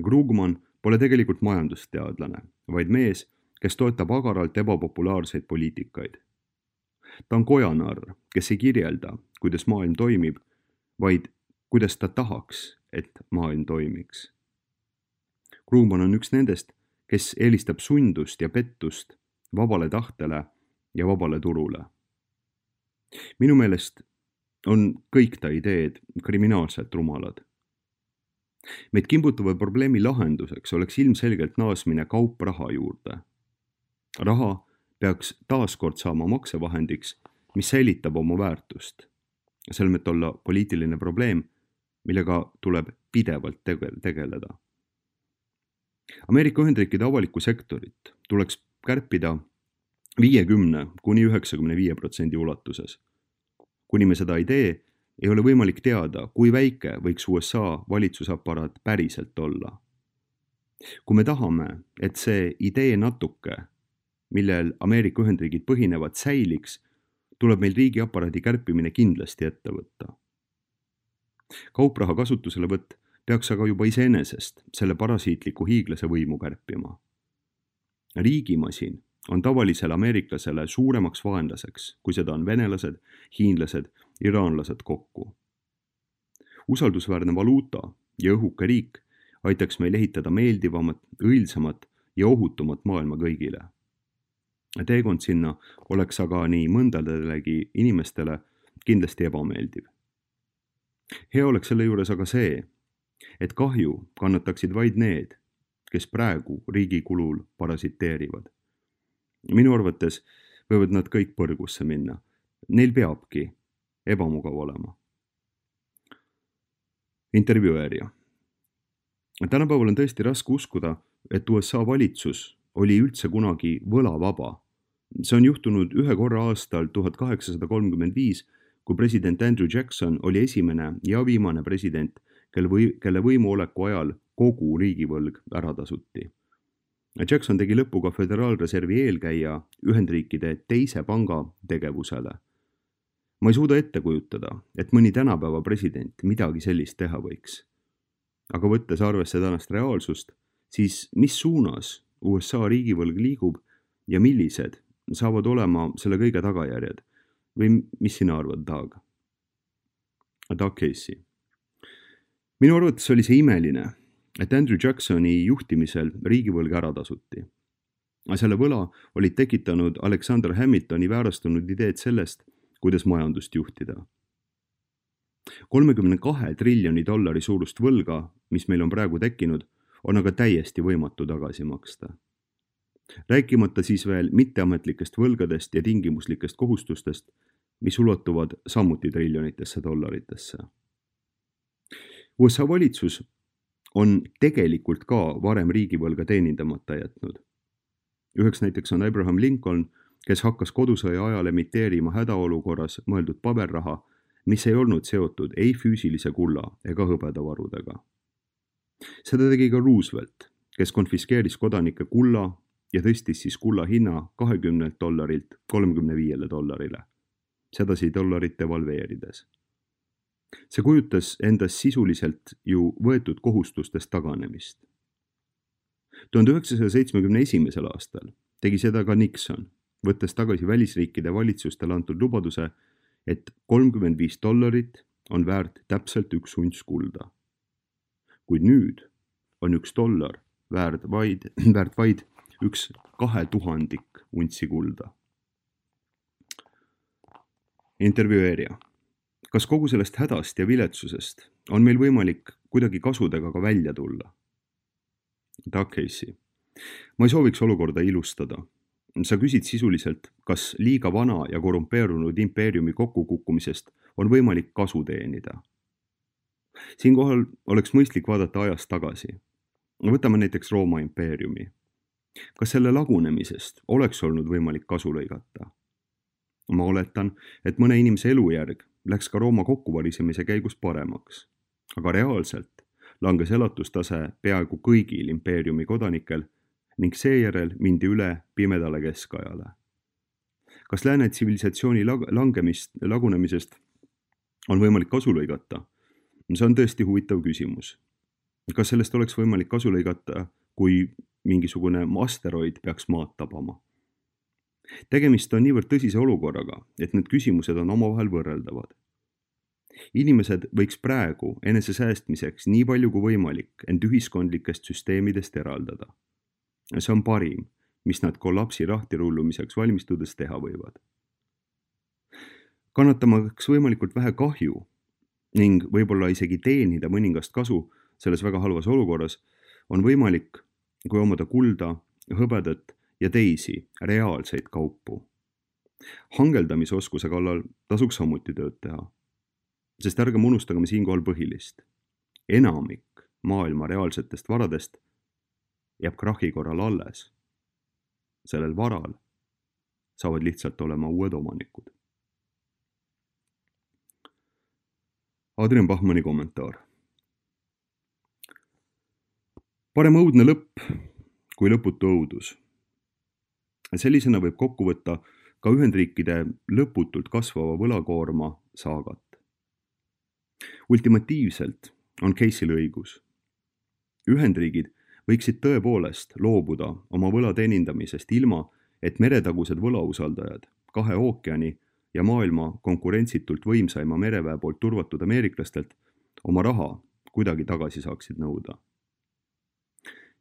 Krugman pole tegelikult majandusteadlane, vaid mees, kes toetab agaralt ebapopulaarseid poliitikaid. Ta on kojanarr, kes ei kirjelda, kuidas maailm toimib, vaid kuidas ta tahaks, et maailm toimiks. Krugman on üks nendest, kes eelistab sundust ja pettust vabale tahtele ja vabale turule. Minu meelest on kõik ta ideed kriminaalselt rumalad. Meid kimbutava probleemi lahenduseks oleks ilmselgelt naasmine kaupraha juurde. Raha peaks taaskord saama maksevahendiks, mis säilitab oma väärtust. Selle võiks olla poliitiline probleem, millega tuleb pidevalt tegeleda. Ameerika Ühendriikide avalikku sektorit tuleks kärpida 50–95% ulatuses. Kuni me seda ei tee, ei ole võimalik teada, kui väike võiks USA valitsusaparaat päriselt olla. Kui me tahame, et see idee natuke, millel Ameerika Ühendriigid põhinevad, säiliks, tuleb meil riigiaparaadi kärpimine kindlasti ette võtta. Kaupraha kasutuselevõtt peaks aga juba iseenesest selle parasiitliku hiiglase võimu kärpima. Riigimasin on tavalisele ameeriklasele suuremaks vaenlaseks, kui seda on venelased, hiinlased, iraanlased kokku. Usaldusväärne valuuta ja õhuke riik aitaks meil ehitada meeldivamat, õilsamat ja ohutumat maailma kõigile. Teekond sinna oleks aga nii mõndadelegi inimestele kindlasti ebameeldiv. Hea oleks selle juures aga see, et kahju kannataksid vaid need, kes praegu riigi kulul parasiteerivad. Minu arvates võivad nad kõik põrgusse minna. Neil peabki ebamugav olema. Intervjueerija. Tänapäeval on tõesti raske uskuda, et USA valitsus oli üldse kunagi võlavaba. See on juhtunud ühe korra aastal 1835, kui president Andrew Jackson oli esimene ja viimane president, kelle võimuoleku ajal kogu riigivõlg ära tasuti. Jackson tegi lõppu ka Föderaalreservi eelkäija Ühendriikide teise panga tegevusele. Ma ei suuda ette kujutada, et mõni tänapäeva president midagi sellist teha võiks. Aga võttes arvesse tänast reaalsust, siis mis suunas USA riigivõlg liigub ja millised saavad olema selle kõige tagajärjed? Või mis sina arvad, Doug Casey? Minu arvates oli see imeline, et Andrew Jacksoni juhtimisel riigivõlg ära tasuti. Selle võla olid tekitanud Alexander Hamiltoni väärastunud ideed sellest, kuidas majandust juhtida. $32 triljoni suurust võlga, mis meil on praegu tekkinud, on aga täiesti võimatu tagasi maksta. Rääkimata siis veel mitteametlikest võlgadest ja tingimuslikest kohustustest, mis ulatuvad samuti triljonitesse dollaritesse. USA valitsus on tegelikult ka varem riigivõlga teenindamata jätnud. Üheks näiteks on Abraham Lincoln, kes hakkas kodusõja ajal emiteerima hädaolukorras mõeldud paberraha, mis ei olnud seotud ei füüsilise kulla ega hõbedavarudega. Seda tegi ka Roosevelt, kes konfiskeeris kodanike kulla ja tõstis siis kulla hinna $20 $35. Sedasi dollarit devalveerides. See kujutas endas sisuliselt ju võetud kohustustest taganemist. 1971. aastal tegi seda ka Nixon, võttes tagasi välisriikide valitsustele antud lubaduse, et $35 on väärt täpselt 1 unts kulda. Kuid nüüd on $1 väärt vaid 1/2000 untsi kulda. Intervjueerija. Kas kogu sellest hädast ja viletsusest on meil võimalik kuidagi kasudega ka välja tulla? Doug Casey. Ma ei sooviks olukorda ilustada. Sa küsid sisuliselt, kas liiga vana ja korrumpeerunud impeeriumi kokkukukkumisest on võimalik kasu teenida. Siinkohal oleks mõistlik vaadata ajas tagasi. Võtame näiteks Rooma impeeriumi. Kas selle lagunemisest oleks olnud võimalik kasu lõigata? Ma oletan, et mõne inimese elujärg läks ka Rooma kokkuvarisemise käigus paremaks, aga reaalselt langes elatustase peaaegu kõigil impeeriumi kodanikel ning seejärel mindi üle pimedale keskajale. Kas lääne tsivilisatsiooni lagunemisest on võimalik kasu lõigata? See on tõesti huvitav küsimus. Kas sellest oleks võimalik kasu lõigata, kui mingisugune asteroid peaks maad tabama? Tegemist on niivõrd tõsise olukorraga, et need küsimused on omavahel võrreldavad. Inimesed võiks praegu enese säästmiseks nii palju kui võimalik end ühiskondlikest süsteemidest eraldada. See on parim, mis nad kollapsi rahtirullumiseks valmistudes teha võivad. Kannatamaks võimalikult vähe kahju ning võib-olla isegi teenida mõningast kasu selles väga halvas olukorras, on võimalik, kui omada kulda, hõbedat ja teisi reaalseid kaupu. Hangeldamisoskuse kallal tasuks samuti tööd teha, sest ärgem unustagem siinkohal põhilist. Enamik maailma reaalsetest varadest jääb krahi korral alles. Sellel varal saavad lihtsalt olema uued omanikud. Adrian Bachmanni kommentaar. Parem õudne lõpp kui lõputu õudus. Sellisena võib kokku võtta ka Ühendriikide lõputult kasvava võlakoorma saagat. Ultimatiivselt on Casey'l õigus. Ühendriigid võiksid tõepoolest loobuda oma võla teenindamisest ilma, et meretagused võlausaldajad, 2 ookeani ja maailma konkurentsitult võimsaima mereväe poolt turvatud ameeriklastelt oma raha kuidagi tagasi saaksid nõuda.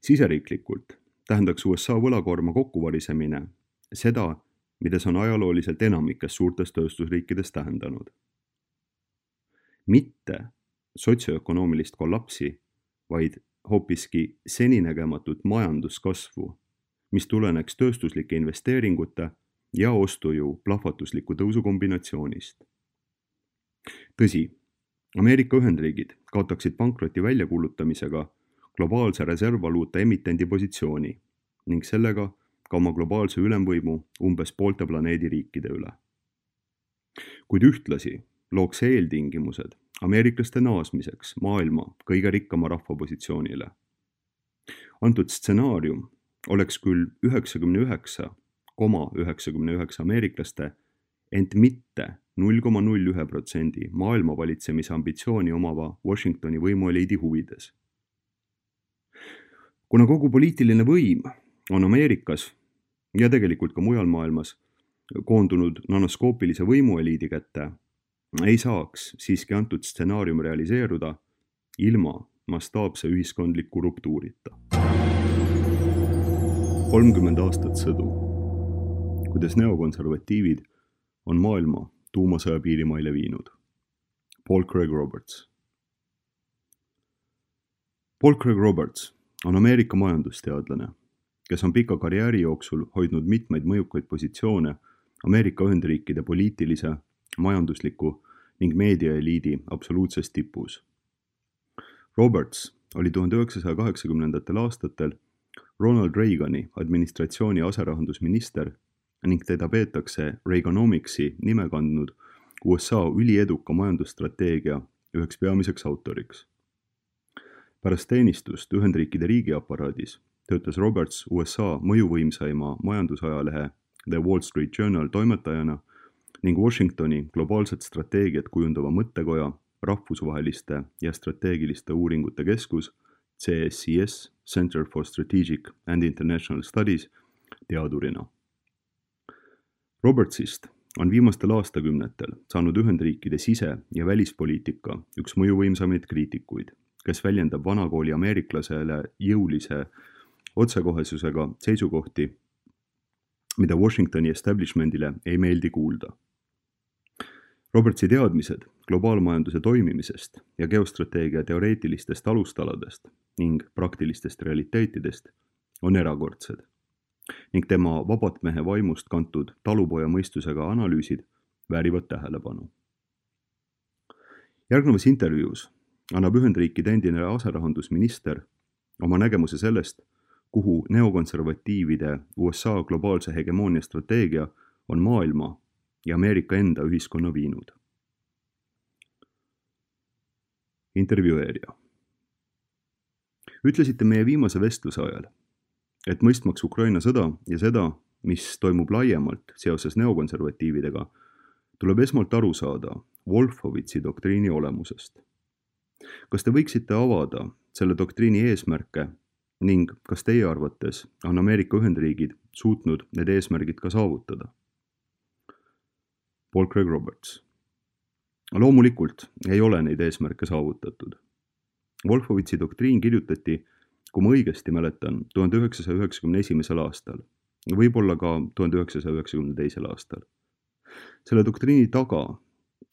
Siseriiklikult tähendaks USA võlakoorma kokkuvarisemine seda, mida see on ajalooliselt enamikes suurtes tööstusriikides tähendanud. Mitte sotsioökonoomilist kollapsi, vaid hoopiski seninägematut majanduskasvu, mis tuleneks tööstuslike investeeringute ja ostujõu plahvatusliku tõusu kombinatsioonist. Tõsi, Ameerika Ühendriigid kaotaksid pankroti väljakuulutamisega globaalse reservvaluuta emitendi positsiooni ning sellega ka oma globaalse ülemvõimu umbes poolte planeedi riikide üle. Kuid ühtlasi looks eeltingimused ameeriklaste naasmiseks maailma kõige rikkama rahva positsioonile. Antud stsenaarium oleks küll 99,99 ameeriklaste, ent mitte 0,01% maailma valitsemise ambitsiooni omava Washingtoni võimueliidi huvides. kuna kogu poliitiline võim on Ameerikas ja tegelikult ka mujal maailmas koondunud nanoskoopilise võimueliidi kätte, ei saaks siiski antud stsenaarium realiseeruda ilma mastaapse ühiskondliku ruptuurita. 30 aastat sõdu, kuidas neokonservatiivid on maailma tuumasõja piirimaile viinud. Paul Craig Roberts. Paul Craig Roberts on Ameerika majandusteadlane, kes on pika karjääri jooksul hoidnud mitmeid mõjukaid positsioone Ameerika Ühendriikide poliitilise, majandusliku ning meediaeliidi absoluutses tipus. Roberts oli 1980. aastatel Ronald Reagani administratsiooni aserahandusminister ning teda peetakse Reaganomicsi nime kandnud USA ülieduka majandusstrateegia üheks peamiseks autoriks. Pärast teenistust Ühendriikide riigiaparaadis töötas Roberts USA mõjuvõimsaima majandusajalehe The Wall Street Journal toimetajana ning Washingtoni globaalset strateegiat kujundava mõttekoja rahvusvaheliste ja strateegiliste uuringute keskus CSIS, Center for Strategic and International Studies, teadurina. Robertsist on viimastel aastakümnetel saanud Ühendriikide sise- ja välispoliitika üks mõjuvõimsamaid kriitikuid, kes väljendab vanakooli ameeriklasele jõulise otsekohesusega seisukohti, mida Washingtoni establishmentile ei meeldi kuulda. Robertsi teadmised globaalmajanduse toimimisest ja geostrateegia teoreetilistest alustaladest ning praktilistest realiteetidest on erakordsed ning tema vabatmehe vaimust kantud talupoja mõistusega analüüsid väärivad tähelepanu. Järgnevas intervjuus annab Ühendriikide endine aserahandusminister oma nägemuse sellest, kuhu neokonservatiivide USA globaalse hegemoonia strateegia on maailma ja Ameerika enda ühiskonna viinud. Intervjueerija. Ütlesite meie viimase vestluse ajal, et mõistmaks Ukraina sõda ja seda, mis toimub laiemalt seoses neokonservatiividega, tuleb esmalt aru saada Wolfowitzi doktriini olemusest. Kas te võiksite avada selle doktriini eesmärke ning kas teie arvates on Ameerika Ühendriigid suutnud need eesmärgid ka saavutada? Paul Craig Roberts. Loomulikult ei ole neid eesmärke saavutatud. Wolfowitzi doktriin kirjutati, kui ma õigesti mäletan, 1991. aastal, võib-olla ka 1992. aastal. Selle doktriini taga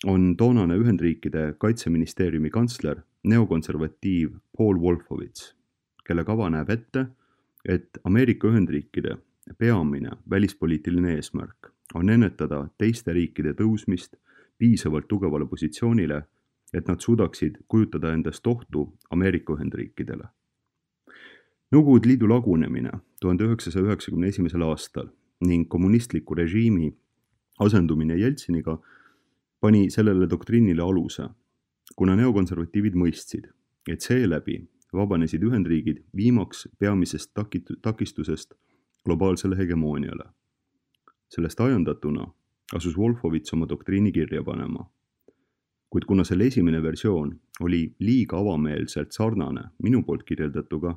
on toonane Ühendriikide kaitseministeeriumi kantsler, neokonservatiiv Paul Wolfowitz, kelle kava näeb ette, et Ameerika Ühendriikide peamine välispoliitiline eesmärk on ennetada teiste riikide tõusmist piisavalt tugevale positsioonile, et nad suudaksid kujutada endast ohtu Ameerika Ühendriikidele. Nõukogude Liidu lagunemine 1991. aastal ning kommunistliku režiimi asendumine Jeltsiniga pani sellele doktriinile aluse, kuna neokonservatiivid mõistsid, et seeläbi vabanesid Ühendriigid viimaks peamisest takistusest globaalsele hegemooniale. Sellest ajandatuna asus Wolfowitz oma doktriini kirja panema. Kuid kuna selle esimene versioon oli liiga avameelselt sarnane minu poolt kirjeldatuga,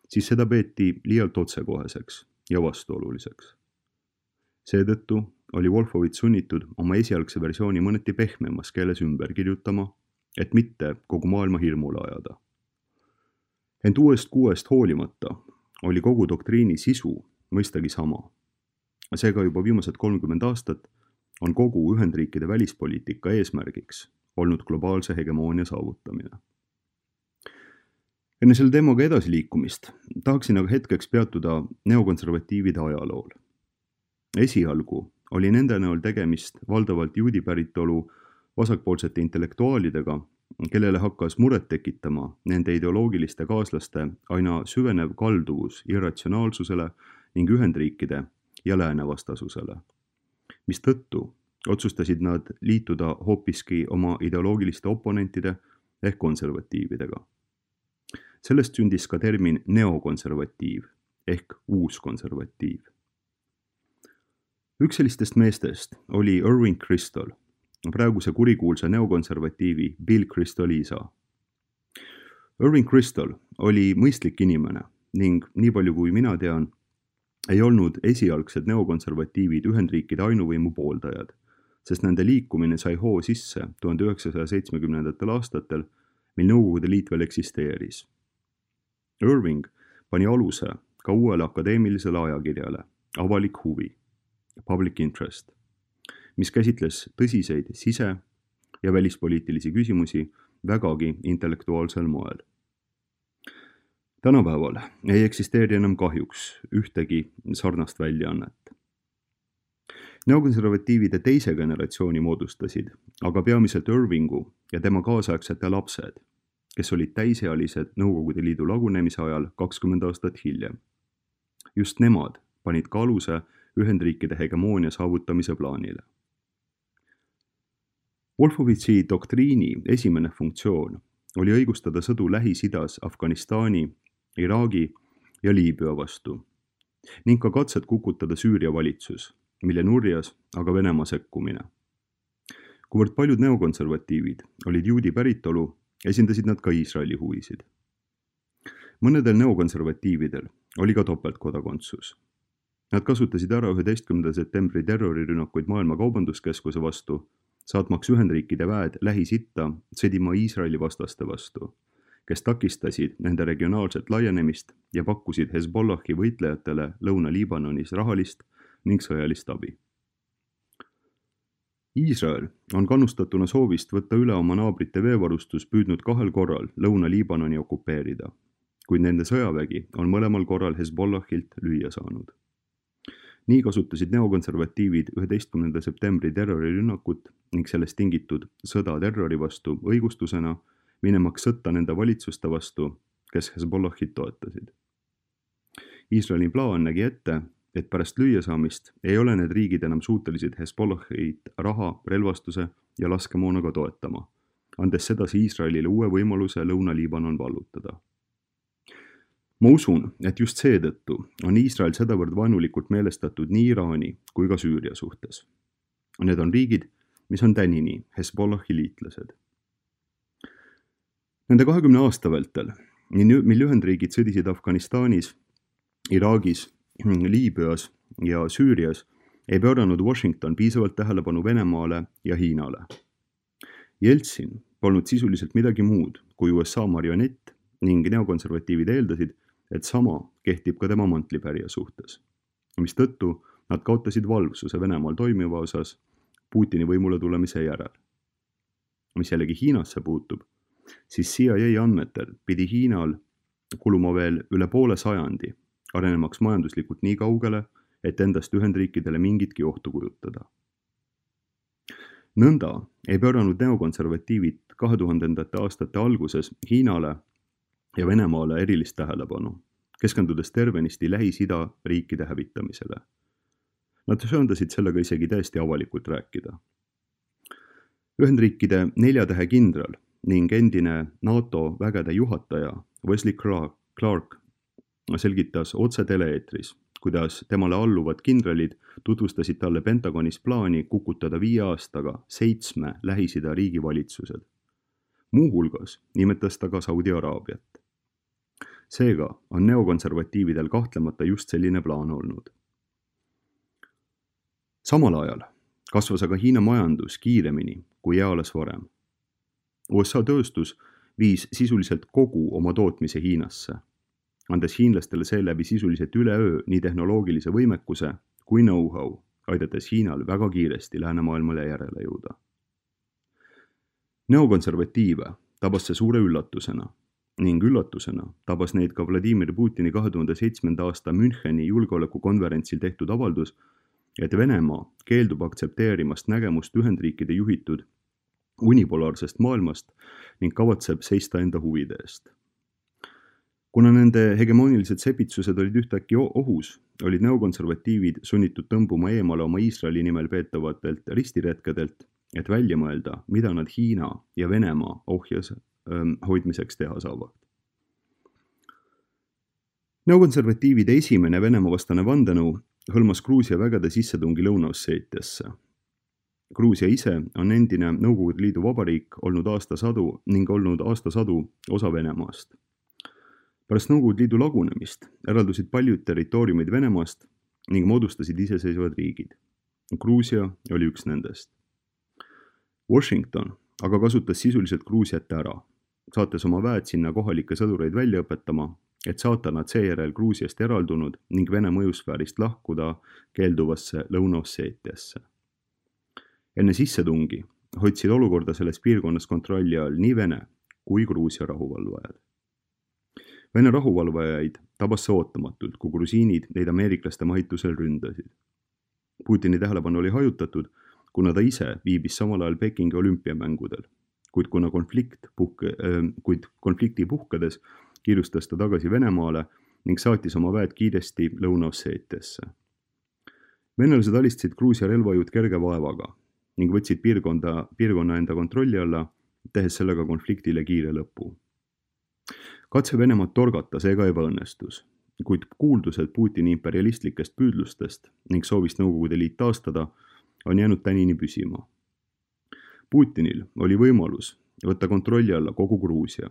siis seda peeti liialt otsekoheseks ja vastuoluliseks. Seetõttu oli Wolfowitz sunnitud oma esialgse versiooni mõneti pehmemas keeles ümber kirjutama, et mitte kogu maailma hirmule ajada. Ent uuest kuuest hoolimata oli kogu doktriini sisu mõistagi sama. Seega juba viimased 30 aastat on kogu Ühendriikide välispoliitika eesmärgiks olnud globaalse hegemoonia saavutamine. Enne selle teemaga edasiliikumist tahaksin aga hetkeks peatuda neokonservatiivide ajalool. Esialgu oli nende näol tegemist valdavalt juudi päritolu vasakpoolsete intellektuaalidega, kellele hakkas muret tekitama nende ideoloogiliste kaaslaste aina süvenev kalduvus irratsionaalsusele ning Ühendriikide ja lääne vastasusele, mistõttu otsustasid nad liituda hoopiski oma ideoloogiliste oponentide ehk konservatiividega. Sellest sündis ka termin neokonservatiiv ehk uuskonservatiiv. Üks sellistest meestest oli Irving Kristol, praeguse kurikuulsa neokonservatiivi Bill Kristoli isa. Irving Kristol oli mõistlik inimene ning nii palju kui mina tean, ei olnud esialgsed neokonservatiivid Ühendriikide ainuvõimu pooldajad, sest nende liikumine sai hoo sisse 1970. aastatel, mil Nõukogude Liit veel eksisteeris. Irving pani aluse ka uuele akadeemilisele ajakirjale Avalik huvi, Public Interest, mis käsitles tõsiseid sise- ja välispoliitilisi küsimusi vägagi intellektuaalsel moel. Tänapäeval ei eksisteeri enam kahjuks ühtegi sarnast väljaannet. Neokonservatiivide teise generatsiooni moodustasid aga peamiselt Irvingu ja tema kaasaegsete lapsed, kes olid täisealised Nõukogude Liidu lagunemise ajal 20 aastat hiljem. Just nemad panid ka aluse Ühendriikide hegemoonia saavutamise plaanile. Wolfowitzi doktriini esimene funktsioon oli õigustada sõdu Lähis-Idas Afganistani, Iraagi ja Liibüa vastu ning ka katset kukutada Süüria valitsus, mille nurjas aga Venemaa sekkumine. Kuivõrd paljud neokonservatiivid olid juudi päritolu, esindasid nad ka Iisraeli huvisid. Mõnedel neokonservatiividel oli ka topeltkodakondsus. Nad kasutasid ära 11. septembri terrorirünnakuid Maailma Kaubanduskeskuse vastu, saatmaks Ühendriikide väed Lähis-Itta sõdima Iisraeli vastaste vastu, kes takistasid nende regionaalset laienemist ja pakkusid Hezbollahi võitlejatele Lõuna-Liibanonis rahalist ning sõjalist abi. Iisrael on kannustatuna soovist võtta üle oma naabrite veevarustus püüdnud 2 korral Lõuna-Liibanoni okupeerida, kuid nende sõjavägi on mõlemal korral Hezbollahilt lüüa saanud. Nii kasutasid neokonservatiivid 11. septembri terrorirünnakut ning sellest tingitud sõda terrori vastu õigustusena, minemaks sõtta nende valitsuste vastu, kes Hezbollahit toetasid. Iisraeli plaan nägi ette, et pärast lüüasaamist ei ole need riigid enam suutelised Hezbollahit raha, relvastuse ja laskemoonaga toetama, andes sedasi Iisraelile uue võimaluse Lõuna-Liibanon vallutada. Ma usun, et just seetõttu on Iisrael sedavõrd vaenulikult meelestatud nii Iraani kui ka Süüria suhtes. Need on riigid, mis on tänini Hezbollahi liitlased. Nende 20 aasta vältel, mil Ühendriigid sõdisid Afganistanis, Iraagis, Liibüas ja Süürias, ei pööranud Washington piisavalt tähelepanu Venemaale ja Hiinale. Jeltsin polnud sisuliselt midagi muud kui USA marionett ning neokonservatiivid eeldasid, et sama kehtib ka tema mantlipärija suhtes, mistõttu nad kaotasid valvsuse Venemaal toimiva osas Putini võimule tulemise järel. Mis jällegi Hiinasse puutub, siis CIA andmetel pidi Hiinal kuluma veel üle poole sajandi, arenemaks majanduslikult nii kaugele, et endast Ühendriikidele mingitki ohtu kujutada. Nõnda ei pööranud neokonservatiivid 2000. aastate alguses Hiinale ja Venemaale erilist tähelepanu, keskendudes tervenisti Lähis-Ida riikide hävitamisele. Nad söandasid sellega isegi täiesti avalikult rääkida. Ühendriikide 4 tähe kindral ning endine NATO vägede juhataja Wesley Clark selgitas otse tele-eetris, kuidas temale alluvad kindralid tutvustasid talle Pentagonis plaani kukutada 5 aastaga 7 Lähis-Ida riigi valitsused. Muuhulgas nimetas ta ka Saudi Araabiat. Seega on neokonservatiividel kahtlemata just selline plaan olnud. Samal ajal kasvas aga Hiina majandus kiiremini kui eales varem. USA tööstus viis sisuliselt kogu oma tootmise Hiinasse, andes hiinlastele seeläbi sisuliselt üleöö nii tehnoloogilise võimekuse kui know-how, aidates Hiinal väga kiiresti läänemaailmale järele jõuda. Neokonservatiive tabas see suure üllatusena ning üllatusena tabas neid ka Vladimir Putini 2007. aasta Müncheni julgeolekukonverentsil tehtud avaldus, et Venemaa keeldub aktsepteerimast nägemust Ühendriikide juhitud unipolaarsest maailmast ning kavatseb seista enda huvide eest. Kuna nende hegemoonilised sepitsused olid ühtäkki ohus, olid neokonservatiivid sunnitud tõmbuma eemale oma Iisraeli nimel peetavatelt ristiretkedelt, et välja mõelda, mida nad Hiina ja Venemaa ohjas hoidmiseks teha saavad. Neokonservatiivide esimene Venemaa vastane vandenõu hõlmas Gruusia vägede sissetungi Lõuna-Osseetiasse. Gruusia ise on endine Nõukogude Liidu vabariik olnud aastasadu osa Venemaast. Pärast Nõukogude Liidu lagunemist eraldusid paljud territooriumid Venemaast ning moodustasid iseseisvad riigid. Gruusia oli üks nendest. Washington aga kasutas sisuliselt Gruusiat ära, saates oma väed sinna kohalikke sõdureid välja õpetama, et saata nad seejärel Gruusiast eraldunud ning Vene mõjusfäärist lahkuda keelduvasse Lõuna-Osseetiasse. Enne sissetungi hoidsid olukorda selles piirkonnas kontrolli all nii Vene kui Gruusia rahuvalvajad. Vene rahuvalvajaid tabas see ootamatult, kui grusiinid neid ameeriklaste mahitusel ründasid. Putini tähelepanu oli hajutatud, kuna ta ise viibis samal ajal Pekingi olümpiamängudel, kuid konflikti puhkedes kiirustas ta tagasi Venemaale ning saatis oma väed kiiresti Lõuna-Osseetiasse. Venelased alistasid Gruusia relvajõud kerge vaevaga ning võtsid piirkonna enda kontrolli alla, tehes sellega konfliktile kiire lõpu. Katse Venemaad torgata seega ebaõnnestus, kuid kuuldused Putini imperialistlikest püüdlustest ning soovist Nõukogude Liit taastada on jäänud tänini püsima. Putinil oli võimalus võtta kontrolli alla kogu Gruusia,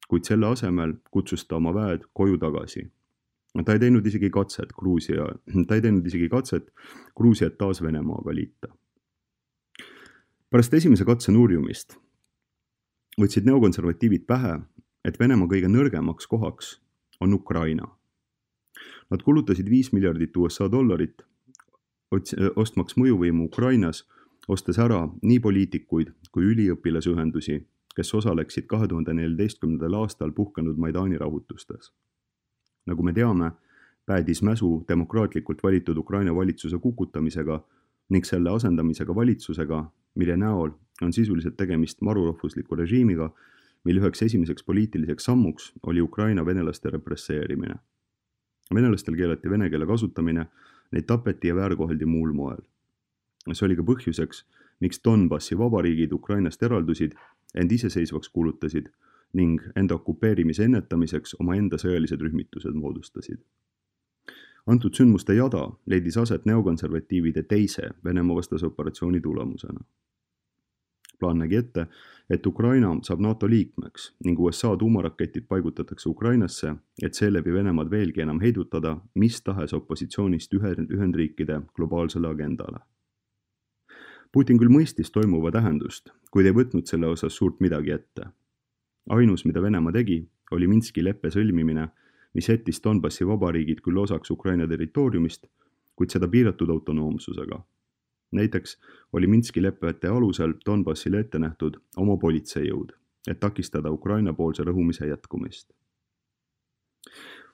kuid selle asemel kutsus ta oma väed koju tagasi. Ta ei teinud isegi katset Gruusiat taas Venemaaga liita. Pärast esimese katse nurjumist võtsid neokonservatiivid pähe, et Venemaa kõige nõrgemaks kohaks on Ukraina. Nad kulutasid $5 miljardit ostmaks mõjuvõimu Ukrainas, ostes ära nii poliitikuid kui üliõpilasühendusi, kes osaleksid 2014. aastal puhkenud Maidani rahutustes. Nagu me teame, päädis mäsu demokraatlikult valitud Ukraina valitsuse kukutamisega ning selle asendamisega valitsusega, mille näol on sisuliselt tegemist marurahvusliku režiimiga, mille üheks esimeseks poliitiliseks sammuks oli Ukraina venelaste represseerimine. Venelastel keelati vene keele kasutamine, neid tapeti ja väärkoheldi muul moel. See oli ka põhjuseks, miks Donbassi vabariigid Ukrainast eraldusid, end iseseisvaks kuulutasid ning enda okupeerimise ennetamiseks oma enda sõjalised rühmitused moodustasid. Antud sündmuste jada leidis aset neokonservatiivide teise Venemaa vastase operatsiooni tulemusena. Plaan nägi ette, et Ukraina saab NATO liikmeks ning USA tuumaraketid paigutatakse Ukrainasse, et seeläbi Venemaad veelgi enam heidutada mis tahes opositsioonist Ühendriikide globaalsele agendale. Putin küll mõistis toimuva tähendust, kuid ei võtnud selle osas suurt midagi ette. Ainus, mida Venemaa tegi, oli Minski leppe sõlmimine, mis jättis Donbassi vabariigid küll osaks Ukraina territooriumist, kuid seda piiratud autonoomsusega. Näiteks oli Minski lepete alusel Donbassile ette nähtud oma politseijõud, et takistada Ukraina poolse rõhumise jätkumist.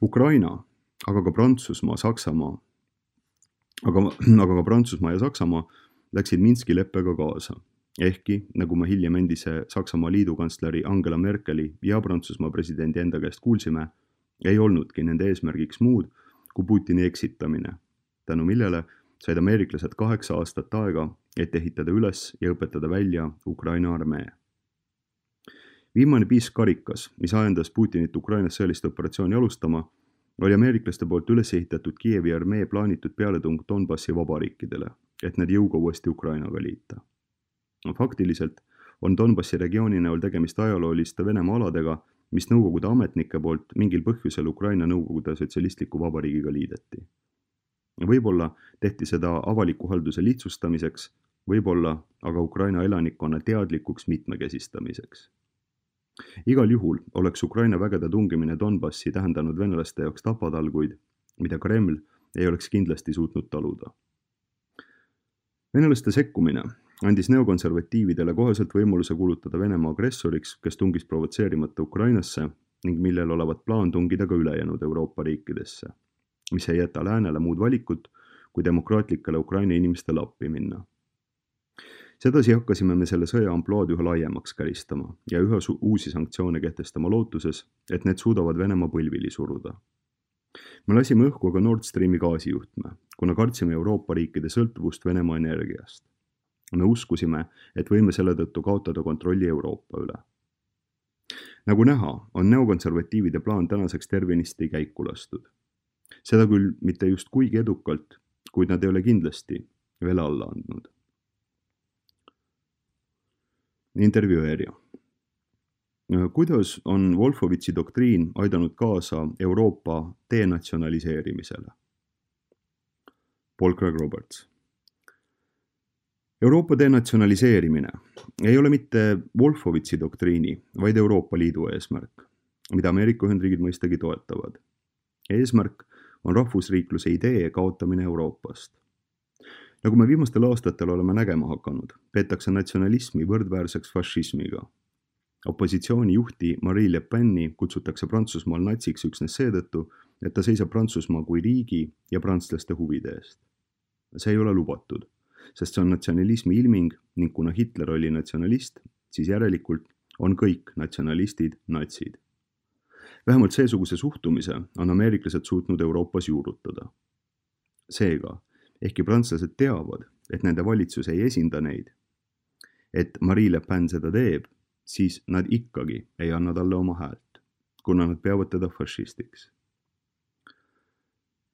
Ukraina, aga ka Prantsusmaa ja Saksamaa läksid Minski leppega kaasa, ehkki, nagu me hiljem endise Saksamaa liidukantsleri Angela Merkeli ja Prantsusmaa presidendi enda käest kuulsime, ei olnudki nende eesmärgiks muud kui Putini eksitamine, tänu millele said ameeriklased 8 aastat aega, et ehitada üles ja õpetada välja Ukraina armee. Viimane piiskarikas, mis ajendas Putinit Ukrainas sõjalist operatsiooni alustama, oli ameeriklaste poolt üles ehitatud Kiievi armee plaanitud pealetung Donbassi vabariikidele, et need jõuga uuesti Ukrainaga liita. Faktiliselt on Donbassi regiooni näol tegemist ajalooliste Venemaa aladega, mis Nõukogude ametnike poolt mingil põhjusel Ukraina Nõukogude sotsialistliku vabariigiga liideti. Võib-olla tehti seda avaliku halduse lihtsustamiseks, võib-olla aga Ukraina elanikkonna teadlikuks mitmekesistamiseks. Igal juhul oleks Ukraina vägede tungimine Donbassi tähendanud venelaste jaoks tapatalguid, mida Kreml ei oleks kindlasti suutnud taluda. Venelaste sekkumine andis neokonservatiividele koheselt võimaluse kuulutada Venemaa agressoriks, kes tungis provotseerimata Ukrainasse ning millel olevat plaan tungida ka ülejäänud Euroopa riikidesse, mis ei jäta läänele muud valikut, kui demokraatlikele Ukraina inimestele appi minna. Sedasi hakkasime me selle sõja ampluaad üha laiemaks käristama ja üha uusi sanktsioone kehtestama lootuses, et need suudavad Venemaa põlvili suruda. Me lasime õhku aga Nord Streami gaasijuhtme, kuna kartsime Euroopa riikide sõltuvust Venemaa energiast. Me uskusime, et võime selle tõttu kaotada kontrolli Euroopa üle. Nagu näha, on neokonservatiivide plaan tänaseks tervenisti käiku lastud. Seda küll mitte just kuigi edukalt, kuid nad ei ole kindlasti veel alla andnud. Intervjueerija. Kuidas on Wolfowitzi doktriin aidanud kaasa Euroopa denatsionaliseerimisele? Paul Craig Roberts. Euroopa denatsionaliseerimine ei ole mitte Wolfowitzi doktriini, vaid Euroopa Liidu eesmärk, mida Ameerika Ühendriigid mõistagi toetavad. Eesmärk on rahvusriikluse idee kaotamine Euroopast. Nagu me viimastel aastatel oleme nägema hakanud, peetakse natsionalismi võrdväärseks fašismiga. Opositsiooni juhti Marine Le Peni kutsutakse Prantsusmaal natsiks üksnes seetõttu, et ta seisab Prantsusmaa kui riigi ja prantslaste huvide eest. See ei ole lubatud, sest see on natsionalismi ilming ning kuna Hitler oli natsionalist, siis järelikult on kõik natsionalistid natsid. Vähemalt seesuguse suhtumise on ameeriklased suutnud Euroopas juurutada. Seega, ehkki prantslased teavad, et nende valitsus ei esinda neid, et Marine Le Pen seda teeb, siis nad ikkagi ei anna talle oma häält, kuna nad peavad teda fašistiks.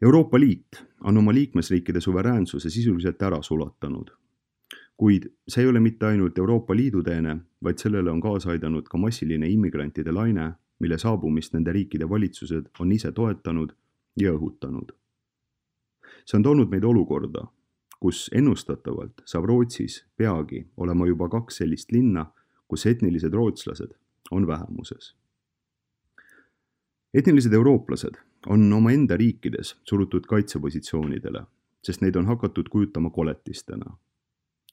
Euroopa Liit on oma liikmesriikide suveräänsuse sisuliselt ära sulatanud, kuid see ei ole mitte ainult Euroopa Liidu teene, vaid sellele on kaasa aidanud ka massiline immigrantide laine, mille saabumist nende riikide valitsused on ise toetanud ja õhutanud. See on toonud meid olukorda, kus ennustatavalt saab Rootsis peagi olema juba 2 sellist linna, kus etnilised rootslased on vähemuses. Etnilised eurooplased on oma enda riikides surutud kaitsepositsioonidele, sest neid on hakatud kujutama koletistena.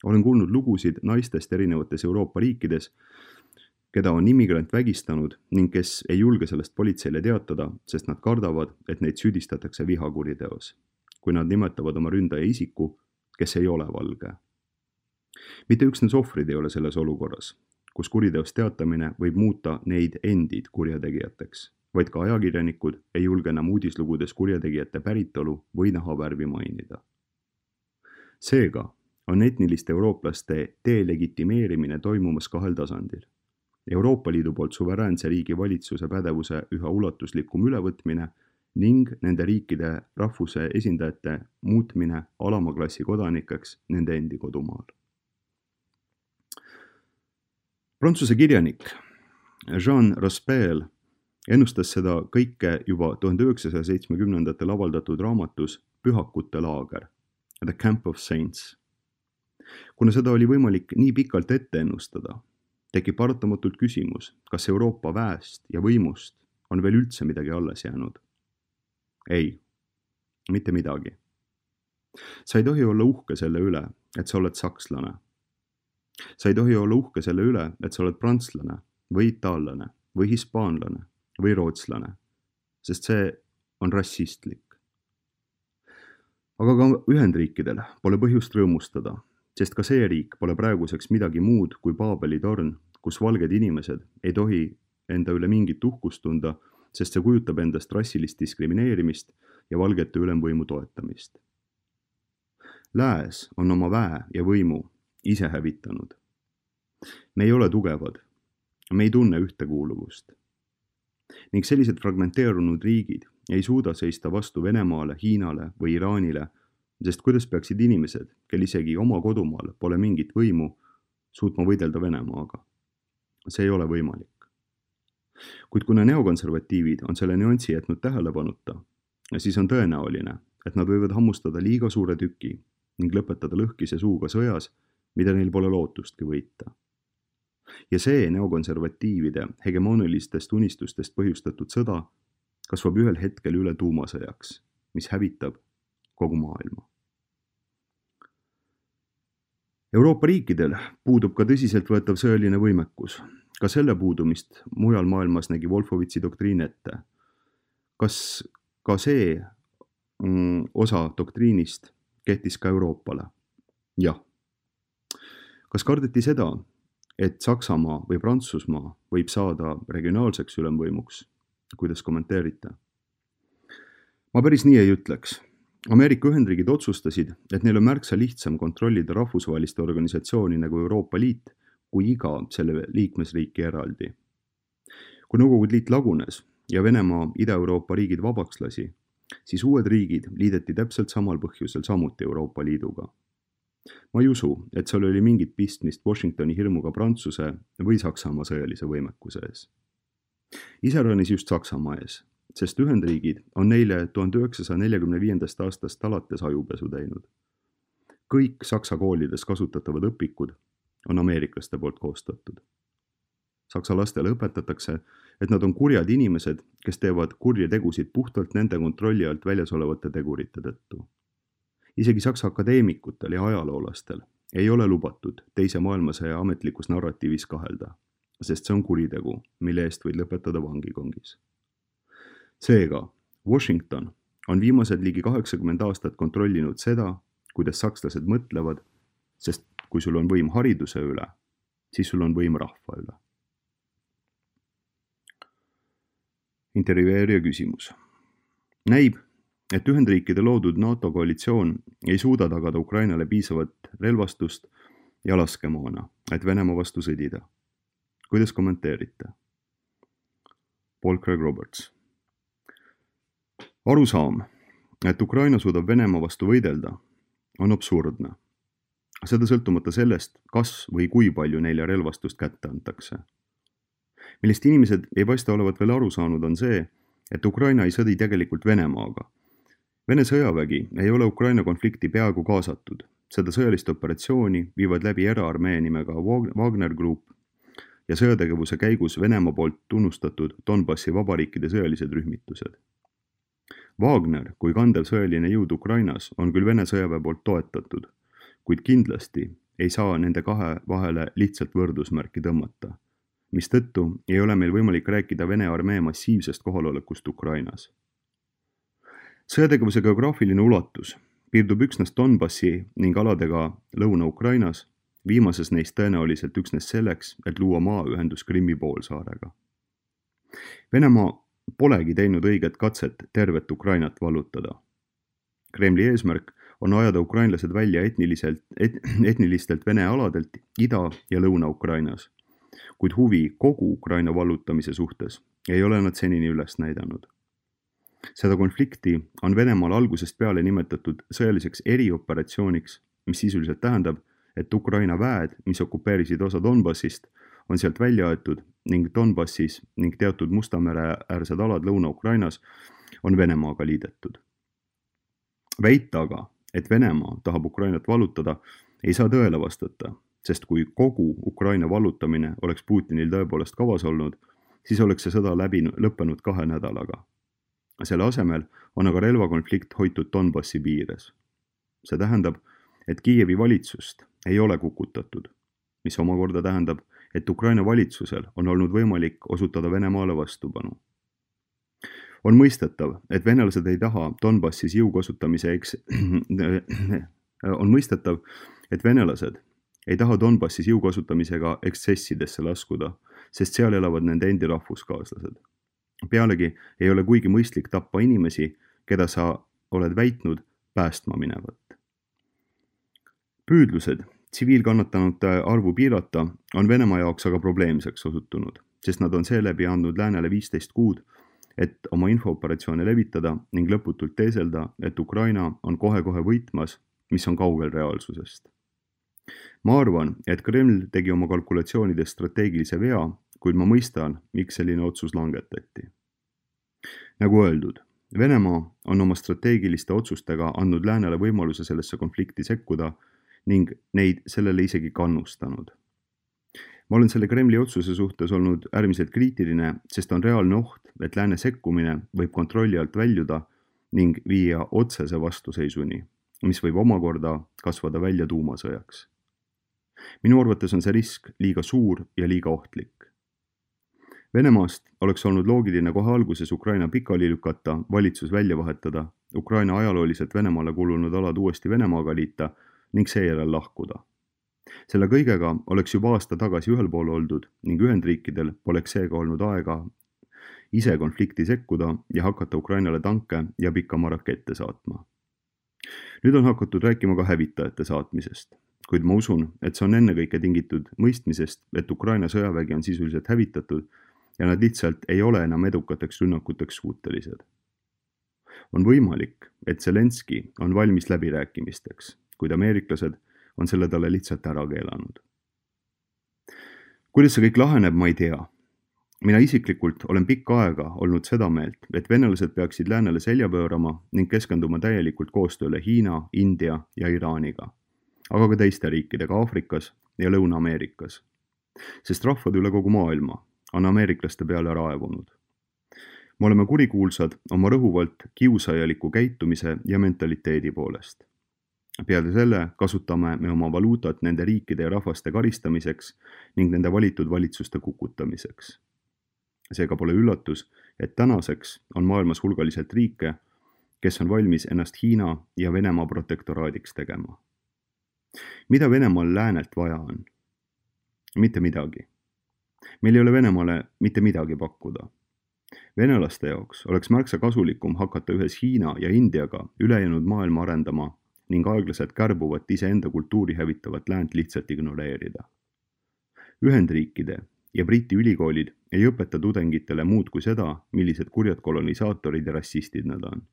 Olen kuulnud lugusid naistest erinevates Euroopa riikides, keda on immigrant vägistanud ning kes ei julge sellest politseile teatada, sest nad kardavad, et neid süüdistatakse vihakuriteos, kui nad nimetavad oma ründaja isiku, kes ei ole valge. Mitte üksnes ohvrid ei ole selles olukorras, kus kuriteost teatamine võib muuta neid endid kurjategijateks, vaid ka ajakirjanikud ei julge enam uudislugudes kurjategijate päritolu või nahavärvi mainida. Seega on etniliste eurooplaste delegitimeerimine toimumas 2 tasandil. Euroopa Liidu poolt suveräänse riigi valitsuse pädevuse üha ulatuslikum ülevõtmine ning nende riikide rahvuse esindajate muutmine alama klassi kodanikeks nende endi kodumaal. Prantsuse kirjanik Jean Raspail ennustas seda kõike juba 1970-ndatel avaldatud raamatus Pühakute laager, The Camp of Saints. Kuna seda oli võimalik nii pikalt ette ennustada, tekib paratamatult küsimus, kas Euroopa väest ja võimust on veel üldse midagi alles jäänud. Ei, mitte midagi. Sa ei tohi olla uhke selle üle, et sa oled sakslane. Sa ei tohi olla uhke selle üle, et sa oled prantslane või itaallane või hispaanlane või rootslane, sest see on rassistlik. Aga ka Ühendriikidel pole põhjust rõõmustada, sest ka see riik pole praeguseks midagi muud kui Paabeli torn, kus valged inimesed ei tohi enda üle mingit uhkust tunda, sest see kujutab endast rassilist diskrimineerimist ja valgete ülemvõimu toetamist. Lääs on oma väe ja võimu ise hävitanud. Me ei ole tugevad, me ei tunne ühtekuuluvust. Ning sellised fragmenteerunud riigid ei suuda seista vastu Venemaale, Hiinale või Iraanile, sest kuidas peaksid inimesed, kel isegi oma kodumaal pole mingit võimu, suutma võidelda Venemaaga? See ei ole võimalik. Kuid kuna neokonservatiivid on selle nüansi jätnud tähelepanuta, siis on tõenäoline, et nad võivad hammustada liiga suure tüki ning lõpetada lõhkise suuga sõjas, mida neil pole lootustki võita. Ja see neokonservatiivide hegemonilistest unistustest põhjustatud sõda kasvab ühel hetkel üle tuumasõjaks, mis hävitab kogu maailma. Euroopa riikidel puudub ka tõsiseltvõetav sõjaline võimekus. Ka selle puudumist mujal maailmas nägi Wolfowitzi doktriin ette. Kas ka see osa doktriinist kehtis ka Euroopale? Jah. Kas kardeti seda, et Saksamaa või Prantsusmaa võib saada regionaalseks ülemvõimuks? Kuidas kommenteerite? Ma päris nii ei ütleks. Ameerika Ühendriigid otsustasid, et neil on märksa lihtsam kontrollida rahvusvaheliste organisatsiooni nagu Euroopa Liit kui iga selle liikmesriiki eraldi. Kui Nõukogude Liit lagunes ja Venemaa Ida-Euroopa riigid vabaks lasi, siis uued riigid liideti täpselt samal põhjusel samuti Euroopa Liiduga. Ma ei usu, et seal oli mingit pistmist Washingtoni hirmuga Prantsuse või Saksamaa sõjalise võimekuse ees. Iseäranis just Saksamaa ees, sest Ühendriigid on neile 1945. aastast alates ajupesu teinud. Kõik Saksa koolides kasutatavad õpikud on ameeriklaste poolt koostatud. Saksa lastele õpetatakse, et nad on kurjad inimesed, kes teevad kurje tegusid puhtalt nende kontrolli alt väljas olevate tegurite tõttu. Isegi Saksa akadeemikutel ja ajaloolastel ei ole lubatud teise maailmasõja ametlikus narratiivis kahelda, sest see on kuritegu, mille eest võid lõpetada vangikongis. Seega, Washington on viimased ligi 80 aastat kontrollinud seda, kuidas sakslased mõtlevad, sest kui sul on võim hariduse üle, siis sul on võim rahva üle. Intervjueerija küsimus. Näib, et Ühendriikide loodud NATO koalitsioon ei suuda tagada Ukrainale piisavat relvastust ja laskemoona, et Venemaa vastu sõdida. Kuidas kommenteerite? Paul Craig Roberts. Arusaam, et Ukraina suudab Venemaa vastu võidelda, on absurdne. Seda sõltumata sellest, kas või kui palju neile relvastust kätte antakse. Millest inimesed ei paista olevat veel aru saanud on see, et Ukraina ei sõdi tegelikult Venemaaga. Vene sõjavägi ei ole Ukraina konflikti peaaegu kaasatud. Seda sõjalist operatsiooni viivad läbi eraarmee nimega Wagner Group ja sõjategevuse käigus Venemaa poolt tunnustatud Donbassi vabariikide sõjalised rühmitused. Wagner kui kandev sõjaline jõud Ukrainas on küll Vene sõjaväe poolt toetatud, kuid kindlasti ei saa nende kahe vahele lihtsalt võrdusmärki tõmmata, mistõttu ei ole meil võimalik rääkida Vene armee massiivsest kohalolekust Ukrainas. Sõjategevuse geograafiline ulatus piirdub üksnes Donbassi ning aladega Lõuna-Ukrainas, viimases neist tõenäoliselt üksnes selleks, et luua maaühendus Krimmi poolsaarega. Venemaa polegi teinud õiget katset tervet Ukrainat vallutada. Kremli eesmärk on ajada ukrainlased välja etnilistelt Vene aladelt Ida- ja Lõuna-Ukrainas, kuid huvi kogu Ukraina vallutamise suhtes ei ole nad senini üles näidanud. Seda konflikti on Venemaal algusest peale nimetatud sõjaliseks erioperatsiooniks, mis sisuliselt tähendab, et Ukraina väed, mis okupeerisid osa Donbassist, on sealt välja aetud ning Donbassis ning teatud Musta mere äärsed alad Lõuna-Ukrainas on Venemaaga liidetud. Väita aga, et Venemaa tahab Ukrainat vallutada, ei saa tõele vastata, sest kui kogu Ukraina vallutamine oleks Putinil tõepoolest kavas olnud, siis oleks see sõda lõppenud 2 nädalaga. Selle asemel on aga relvakonflikt hoitud Donbassi piires. See tähendab, et Kiievi valitsust ei ole kukutatud, mis omakorda tähendab, et Ukraina valitsusel on olnud võimalik osutada Venemaale vastupanu. On mõistetav, et venelased ei taha Donbassis jõu kasutamise jõukasutamisega ekstsessidesse laskuda, sest seal elavad nende endi rahvuskaaslased. Pealegi ei ole kuigi mõistlik tappa inimesi, keda sa oled väitnud päästma minevat. Püüdlused tsiviilkannatanute arvu piirata on Venemaa jaoks aga probleemseks osutunud, sest nad on seeläbi andnud läänele 15 kuud, et oma infooperatsioone levitada ning lõputult teeselda, et Ukraina on kohe-kohe võitmas, mis on kaugel reaalsusest. Ma arvan, et Kreml tegi oma kalkulatsioonides strateegilise vea, kuid ma mõistan, miks selline otsus langetati. Nagu öeldud, Venemaa on oma strateegiliste otsustega andnud läänele võimaluse sellesse konflikti sekkuda ning neid sellele isegi kannustanud. Ma olen selle Kremli otsuse suhtes olnud äärmiselt kriitiline, sest on reaalne oht, et lääne sekkumine võib kontrolli alt väljuda ning viia otsese vastuseisuni, mis võib omakorda kasvada välja tuumasõjaks. Minu arvates on see risk liiga suur ja liiga ohtlik. Venemaast oleks olnud loogiline kohe alguses Ukraina pikali lükata, valitsus välja vahetada, Ukraina ajalooliselt Venemaale kuulunud alad uuesti Venemaaga liita ning seejärel lahkuda. Selle kõigega oleks juba aasta tagasi ühel pool oldud ning Ühendriikidel poleks seega olnud aega ise konflikti sekkuda ja hakata Ukrainale tanke ja pikama rakette saatma. Nüüd on hakatud rääkima ka hävitajate saatmisest, kuid ma usun, et see on ennekõike tingitud mõistmisest, et Ukraina sõjavägi on sisuliselt hävitatud ja nad lihtsalt ei ole enam edukateks rünnakuteks suutelised. On võimalik, et Zelenski on valmis läbirääkimisteks, kuid ameeriklased on selle talle lihtsalt ära keelanud. Kuidas see kõik laheneb, ma ei tea. Mina isiklikult olen pikka aega olnud seda meelt, et venelased peaksid läänele selja pöörama ning keskenduma täielikult koostööle Hiina, India ja Iraaniga, aga ka teiste riikidega Aafrikas ja Lõuna-Ameerikas, sest rahvad üle kogu maailma on ameeriklaste peale raevunud. Me oleme kurikuulsad oma rõhuvalt kiusajaliku käitumise ja mentaliteedi poolest. Peale selle kasutame me oma valuutat nende riikide ja rahvaste karistamiseks ning nende valitud valitsuste kukutamiseks. Seega pole üllatus, et tänaseks on maailmas hulgaliselt riike, kes on valmis ennast Hiina ja Venemaa protektoraadiks tegema. Mida Venemaal läänelt vaja on? Mitte midagi. Meil ei ole Venemaale mitte midagi pakkuda. Venelaste jaoks oleks märksa kasulikum hakata ühes Hiina ja Indiaga ülejäänud maailma arendama ning aeglaselt kärbuvat iseenda kultuuri hävitavat läänt lihtsalt ignoreerida. Ühendriikide ja Briti ülikoolid ei õpeta tudengitele muud kui seda, millised kurjad kolonisaatorid ja rassistid nad on.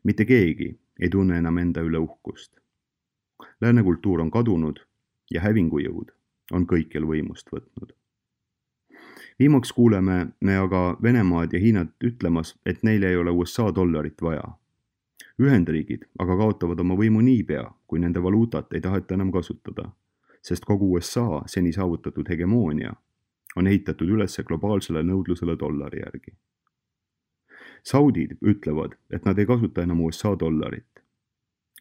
Mitte keegi ei tunne enam enda üle uhkust. Lääne kultuur on kadunud ja hävingujõud on kõikjal võimust võtnud. Viimaks kuuleme me aga Venemaad ja Hiinat ütlemas, et neil ei ole USA dollarit vaja. Ühendriigid aga kaotavad oma võimu niipea, kui nende valuutat ei taheta enam kasutada, sest kogu USA seni saavutatud hegemoonia on ehitatud üles globaalsele nõudlusele dollari järgi. Saudid ütlevad, et nad ei kasuta enam USA dollarit.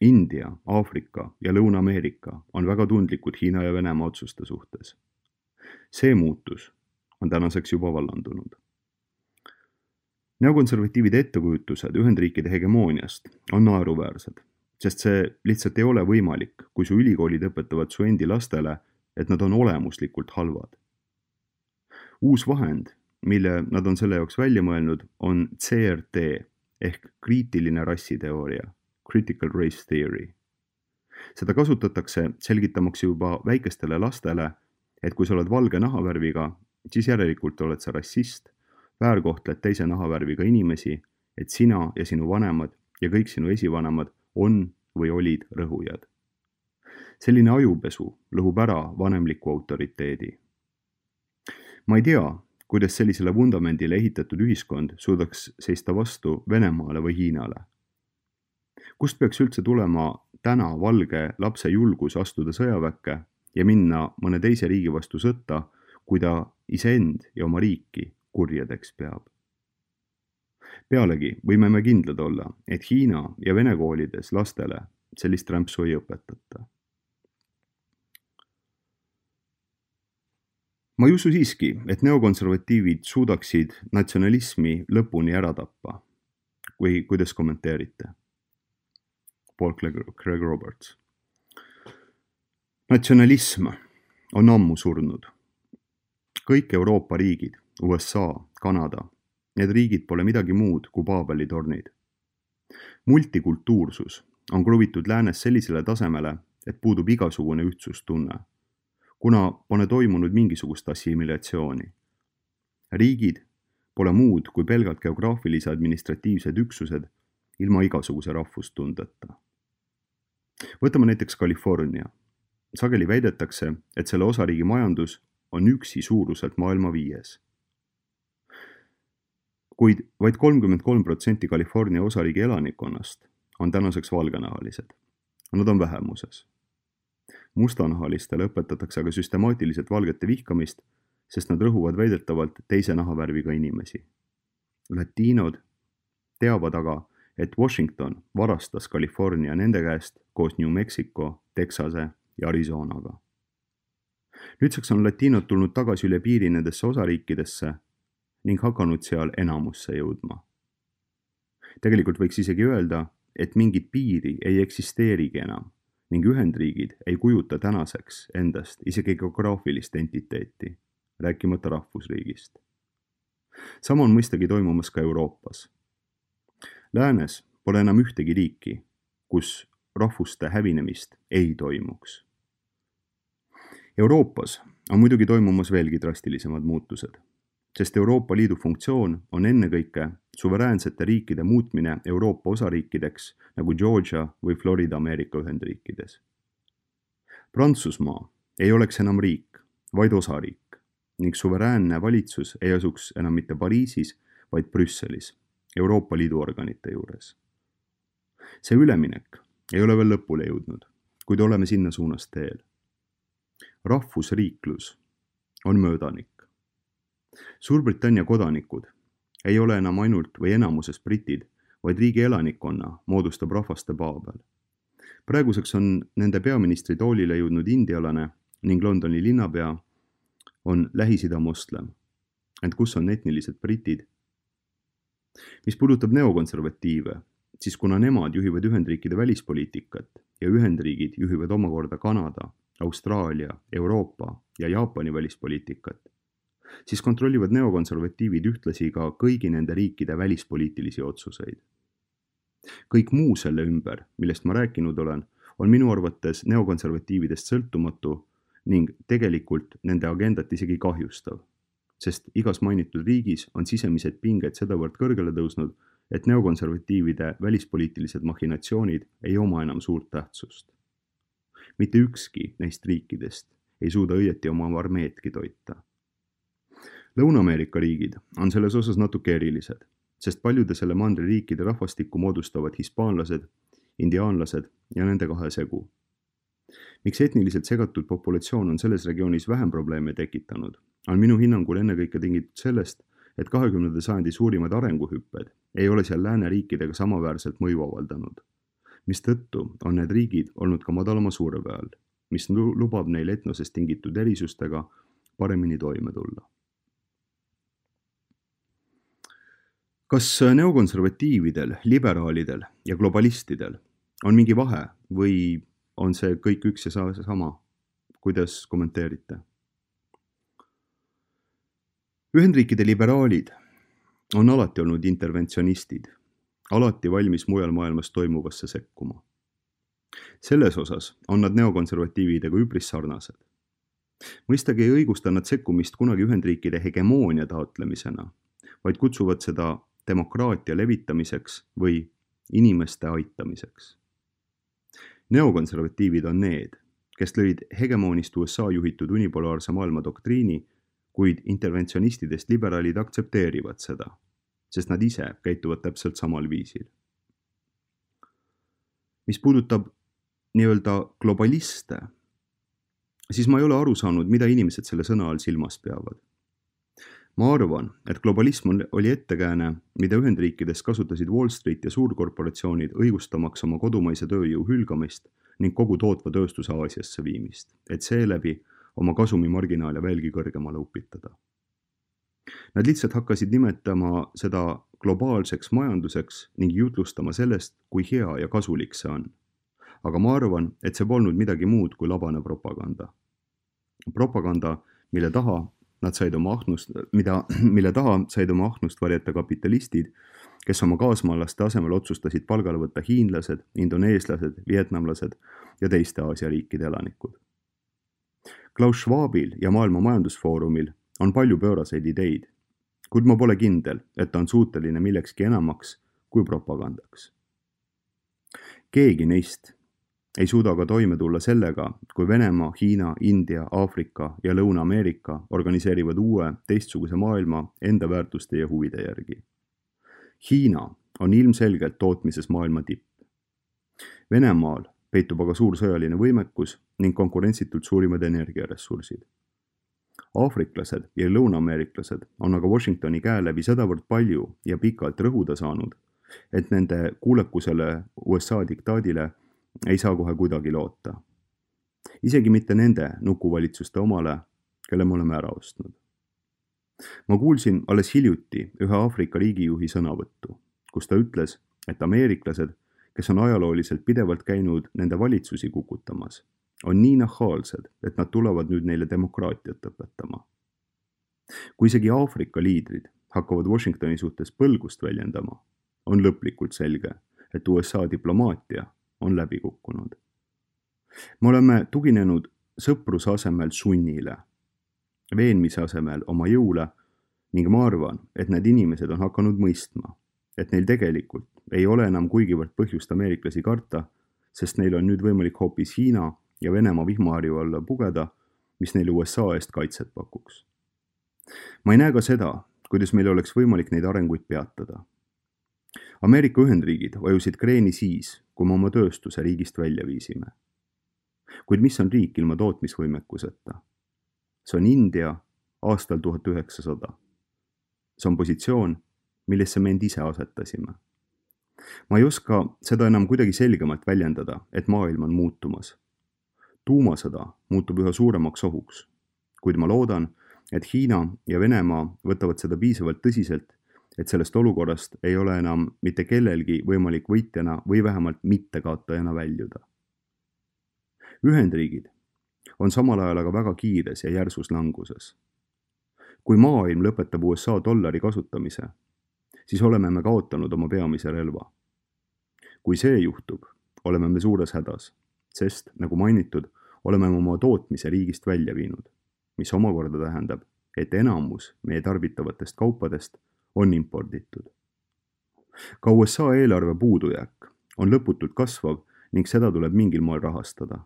India, Aafrika ja Lõuna-Ameerika on väga tundlikud Hiina ja Venemaa otsuste suhtes. See muutus on tänaseks juba vallandunud. Neokonservatiivide ettekujutused Ühendriikide hegemooniast on naeruväärsed, sest see lihtsalt ei ole võimalik, kui su ülikoolid õpetavad su endi lastele, et nad on olemuslikult halvad. Uus vahend, mille nad on selle jaoks välja mõelnud, on CRT ehk kriitiline rassiteooria, critical race theory. Seda kasutatakse selgitamaks juba väikestele lastele, et kui sa oled valge nahavärviga, siis järelikult oled sa rassist, väärkohtled teise nahavärviga inimesi, et sina ja sinu vanemad ja kõik sinu esivanemad on või olid rõhujad. Selline ajupesu lõhub ära vanemliku autoriteedi. Ma ei tea, kuidas sellisele vundamendile ehitatud ühiskond suudaks seista vastu Venemaale või Hiinale. Kust peaks üldse tulema täna valge lapse julgus astuda sõjaväkke ja minna mõne teise riigi vastu sõtta, kui ta iseend ja oma riiki kurjadeks peab? Pealegi võime me kindlad olla, et Hiina ja Vene koolides lastele sellist rämpsu ei õpetata. Ma ei usu siiski, et neokonservatiivid suudaksid natsionalismi lõpuni ära tappa. Kuidas kommenteerite? Paul Craig Roberts. Natsionalism on ammu surnud. Kõik Euroopa riigid, USA, Kanada, need riigid pole midagi muud kui Paabeli tornid. Multikultuursus on kruvitud läänes sellisele tasemele, et puudub igasugune ühtsustunne, kuna pole toimunud mingisugust assimilatsiooni. Riigid pole muud kui pelgalt geograafilise administratiivsed üksused ilma igasuguse rahvustundeta. Võtame näiteks California. Sageli väidetakse, et selle osariigi majandus on üksi suuruselt maailma 5. Kuid vaid 33% California osariigi elanikkonnast on tänaseks valgenahalised. Nad on vähemuses. Mustanahalistele õpetatakse aga süstemaatiliselt valgete vihkamist, sest nad rõhuvad väidetavalt teise nahavärviga inimesi. Latiinod teavad aga, et Washington varastas California nende käest koos New Mexico, Texase ja Arizonaga. Nüüdseks on latiinod tulnud tagasi üle piiri nendesse osariikidesse ning hakanud seal enamusse jõudma. Tegelikult võiks isegi öelda, et mingit piiri ei eksisteerigi enam ning Ühendriigid ei kujuta tänaseks endast isegi geograafilist entiteeti, rääkimata rahvusriigist. Sama on mõistagi toimumas ka Euroopas. Läänes pole enam ühtegi riiki, kus rahvuste hävinemist ei toimuks. Euroopas on muidugi toimumas veelgi drastilisemad muutused, sest Euroopa Liidu funktsioon on ennekõike suveräänsete riikide muutmine Euroopa osariikideks nagu Georgia või Florida Ameerika Ühendriikides. Prantsusmaa ei oleks enam riik, vaid osariik ning suveräänne valitsus ei asuks enam mitte Pariisis, vaid Brüsselis, Euroopa Liidu organite juures. See üleminek ei ole veel lõpule jõudnud, kuid oleme sinna suunas teel. Rahvusriiklus on möödanik. Suurbritannia kodanikud ei ole enam ainult või enamuses britid, vaid riigi elanikkonna moodustab rahvaste paabel. Praeguseks on nende peaministri toolile jõudnud indialane ning Londoni linnapea on Lähis-Ida moslem. Ent kus on etnilised britid? Mis puudutab neokonservatiive, siis kuna nemad juhivad Ühendriikide välispoliitikat ja Ühendriigid juhivad omakorda Kanada, Austraalia, Euroopa ja Jaapani välispoliitikat, siis kontrollivad neokonservatiivid ühtlasi ka kõigi nende riikide välispoliitilisi otsuseid. Kõik muu selle ümber, millest ma rääkinud olen, on minu arvates neokonservatiividest sõltumatu ning tegelikult nende agendat isegi kahjustav, sest igas mainitud riigis on sisemised pinged sedavõrd kõrgele tõusnud, et neokonservatiivide välispoliitilised machinatsioonid ei oma enam suurt tähtsust. Mitte ükski neist riikidest ei suuda õieti oma armeedki toita. Lõuna-Ameerika riigid on selles osas natuke erilised, sest paljude selle mandri riikide rahvastikku moodustavad hispaanlased, indiaanlased ja nende kahe segu. Miks etniliselt segatud populatsioon on selles regioonis vähem probleeme tekitanud, on minu hinnangul ennekõike tingitud sellest, et 20. sajandi suurimad arenguhüpped ei ole seal lääne riikidega samaväärselt mõju avaldanud, mistõttu on need riigid olnud ka madalama surve all, mis lubab neil etnosest tingitud erisustega paremini toime tulla. Kas neokonservatiividel, liberaalidel ja globalistidel on mingi vahe või on see kõik üks ja sama? Kuidas kommenteerite? Ühendriikide liberaalid on alati olnud interventsionistid, alati valmis mujal maailmas toimuvasse sekkuma. Selles osas on nad neokonservatiividega üpris sarnased. Mõistagi ei õigusta nad sekkumist kunagi Ühendriikide hegemoonia taotlemisena, vaid kutsuvad seda demokraatia levitamiseks või inimeste aitamiseks. Neokonservatiivid on need, kes lõid hegemoonist USA juhitud unipolaarse maailma doktriini, kuid interventsionistidest liberaalid aktsepteerivad seda, sest nad ise käituvad täpselt samal viisil. Mis puudutab nii-öelda globaliste, siis ma ei ole aru saanud, mida inimesed selle sõna all silmas peavad. Ma arvan, et globalism oli ettekääne, mida Ühendriikides kasutasid Wall Street ja suurkorporatsioonid õigustamaks oma kodumaise tööjõu hülgamist ning kogu tootva tööstuse Aasiasse viimist, et seeläbi oma kasumimarginaale veelgi kõrgemale upitada. Nad lihtsalt hakkasid nimetama seda globaalseks majanduseks ning jutlustama sellest, kui hea ja kasulik see on. Aga ma arvan, et see polnud midagi muud kui labane propaganda. Propaganda, mille taha said oma ahnust varjata kapitalistid, kes oma kaasmaalaste asemel otsustasid palgale võtta hiinlased, indoneeslased, vietnamlased ja teiste Aasia riikide elanikud. Klaus Schwabil ja Maailma Majandusfoorumil on palju pööraseid ideid, kuid ma pole kindel, et ta on suuteline millekski enamaks kui propagandaks. Keegi neist ei suuda ka toime tulla sellega, kui Venemaa, Hiina, India, Aafrika ja Lõuna-Ameerika organiseerivad uue, teistsuguse maailma enda väärtuste ja huvide järgi. Hiina on ilmselgelt tootmises maailma tipp. Venemaal peitub aga suur sõjaline võimekus ning konkurentsitult suurimad energiaressursid. Aafriklased ja lõuna-ameeriklased on aga Washingtoni käe läbi sedavõrd palju ja pikalt rõhuda saanud, et nende kuulekusele USA diktaadile ei saa kohe kuidagi loota. Isegi mitte nende nukuvalitsuste omale, kelle me oleme ära ostnud. Ma kuulsin alles hiljuti ühe Aafrika riigijuhi sõnavõttu, kus ta ütles, et ameeriklased, kes on ajalooliselt pidevalt käinud nende valitsusi kukutamas, on nii nahaalsed, et nad tulevad nüüd neile demokraatiat õpetama. Kui isegi Aafrika liidrid hakkavad Washingtoni suhtes põlgust väljendama, on lõplikult selge, et USA diplomaatia on läbi kukkunud. Me oleme tuginenud sõpruse asemel sunnile, veenmise asemel oma jõule ning ma arvan, et need inimesed on hakanud mõistma, et neil tegelikult ei ole enam kuigivõrd põhjust ameeriklasi karta, sest neil on nüüd võimalik hoopis Hiina ja Venemaa vihmaharju alla pugeda, mis neile USA eest kaitset pakuks. Ma ei näe ka seda, kuidas meil oleks võimalik neid arenguid peatada. Ameerika Ühendriigid vajusid kreeni siis, kui me oma tööstuse riigist välja viisime. Kuid mis on riik ilma tootmisvõimekuseta? See on India aastal 1900. See on positsioon, millesse me end ise asetasime. Ma ei oska seda enam kuidagi selgemalt väljendada, et maailm on muutumas. Tuumasõda muutub üha suuremaks ohuks, kuid ma loodan, et Hiina ja Venemaa võtavad seda piisavalt tõsiselt, et sellest olukorrast ei ole enam mitte kellelgi võimalik võitjana või vähemalt mittekaotajana väljuda. Ühendriigid on samal ajal aga väga kiires ja järsus languses. Kui maailm lõpetab USA dollari kasutamise, siis oleme me kaotanud oma peamise relva. Kui see juhtub, oleme me suures hädas, sest, nagu mainitud, oleme oma tootmise riigist välja viinud, mis omakorda tähendab, et enamus meie tarbitavatest kaupadest on imporditud. Ka USA eelarve puudujääk on lõputult kasvav ning seda tuleb mingil moel rahastada.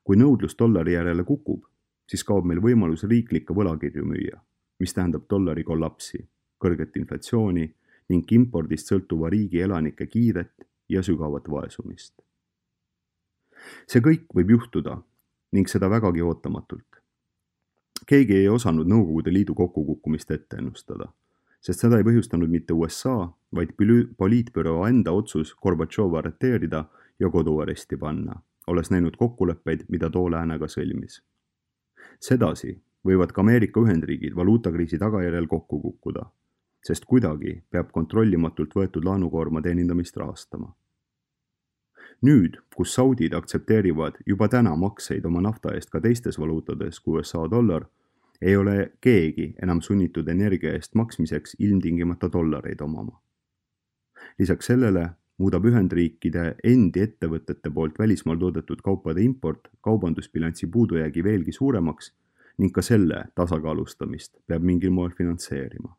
Kui nõudlus dollari järele kukub, siis kaob meil võimalus riiklikke võlakirju müüa, mis tähendab dollari kollapsi, kõrget inflatsiooni ning impordist sõltuva riigi elanike kiiret ja sügavat vaesumist. See kõik võib juhtuda ning seda vägagi ootamatult. Keegi ei osanud Nõukogude Liidu kokkukukkumist ette ennustada, sest seda ei põhjustanud mitte USA, vaid poliitbüroo enda otsus Gorbatšova arreteerida ja koduaresti panna, olles näinud kokkuleppeid, mida too läänega sõlmis. Sedasi võivad ka Ameerika Ühendriigid valuutakriisi tagajärjel kokku kukkuda, sest kuidagi peab kontrollimatult võetud laenukoorma teenindamist rahastama. Nüüd, kus Saudid aktsepteerivad juba täna makseid oma nafta eest ka teistes valuutades kui USA dollar, ei ole keegi enam sunnitud energia eest maksmiseks ilmtingimata dollareid omama. Lisaks sellele muudab Ühendriikide endi ettevõtete poolt välismaal toodetud kaupade import kaubandusbilansi puudujäägi veelgi suuremaks ning ka selle tasakaalustamist peab mingil moel finantseerima.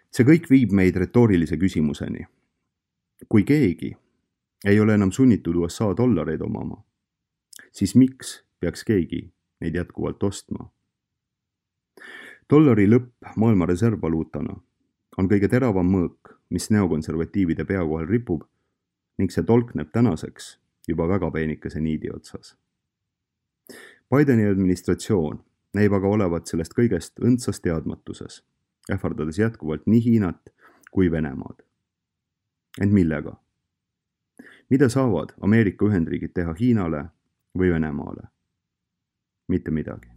See kõik viib meid retoorilise küsimuseni. Kui keegi ei ole enam sunnitud USA dollareid omama, siis miks peaks keegi neid jätkuvalt ostma? Dollari lõpp maailma reservvaluutana on kõige teravam mõõk, mis neokonservatiivide pea kohal ripub ning see tolkneb tänaseks juba väga peenikese niidi otsas. Bideni administratsioon näib aga olevat sellest kõigest õndsas teadmatuses, ähvardades jätkuvalt nii Hiinat kui Venemaad. Ent millega? Mida saavad Ameerika Ühendriigid teha Hiinale või Venemaale? Mitte midagi.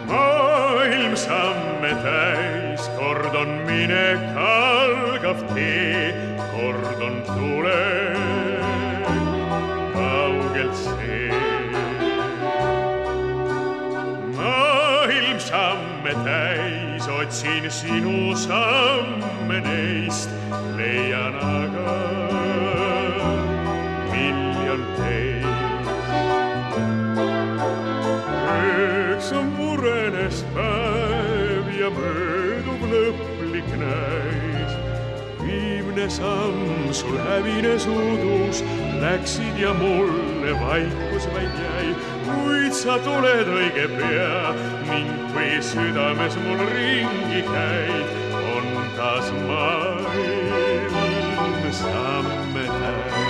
Maailm samme täis, kord on minek algav tee, kord on tulek kaugelt see. Maailm samme täis, otsin sinu samme neist, leian aga miljon teist. Üks on murenes päev ja möödub lõplik näis. Viimne samm sul hävines udus, läksid ja mulle vaikus vaid jäi. Kuid sa tuled õige pea ning kui südames mul ringi käid, on taas maailm samme täis.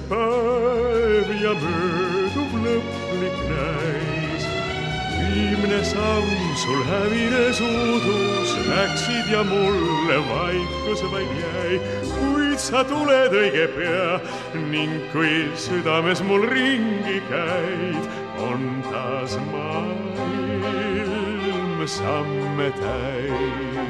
Päev ja möödub lõplik näis. viimne samm sul hävines udus, läksid ja mulle vaikus vaid jäi, kuid sa tuled õige pea ning kui südames mul ringi käid, on taas maailm samme täis.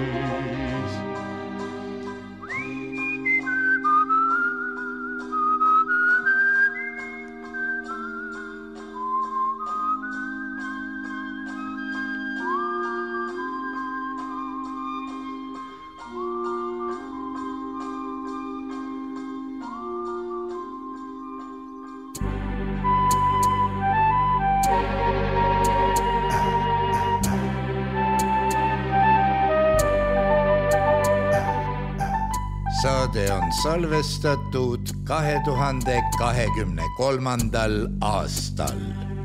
Saade on salvestatud 2023. aastal.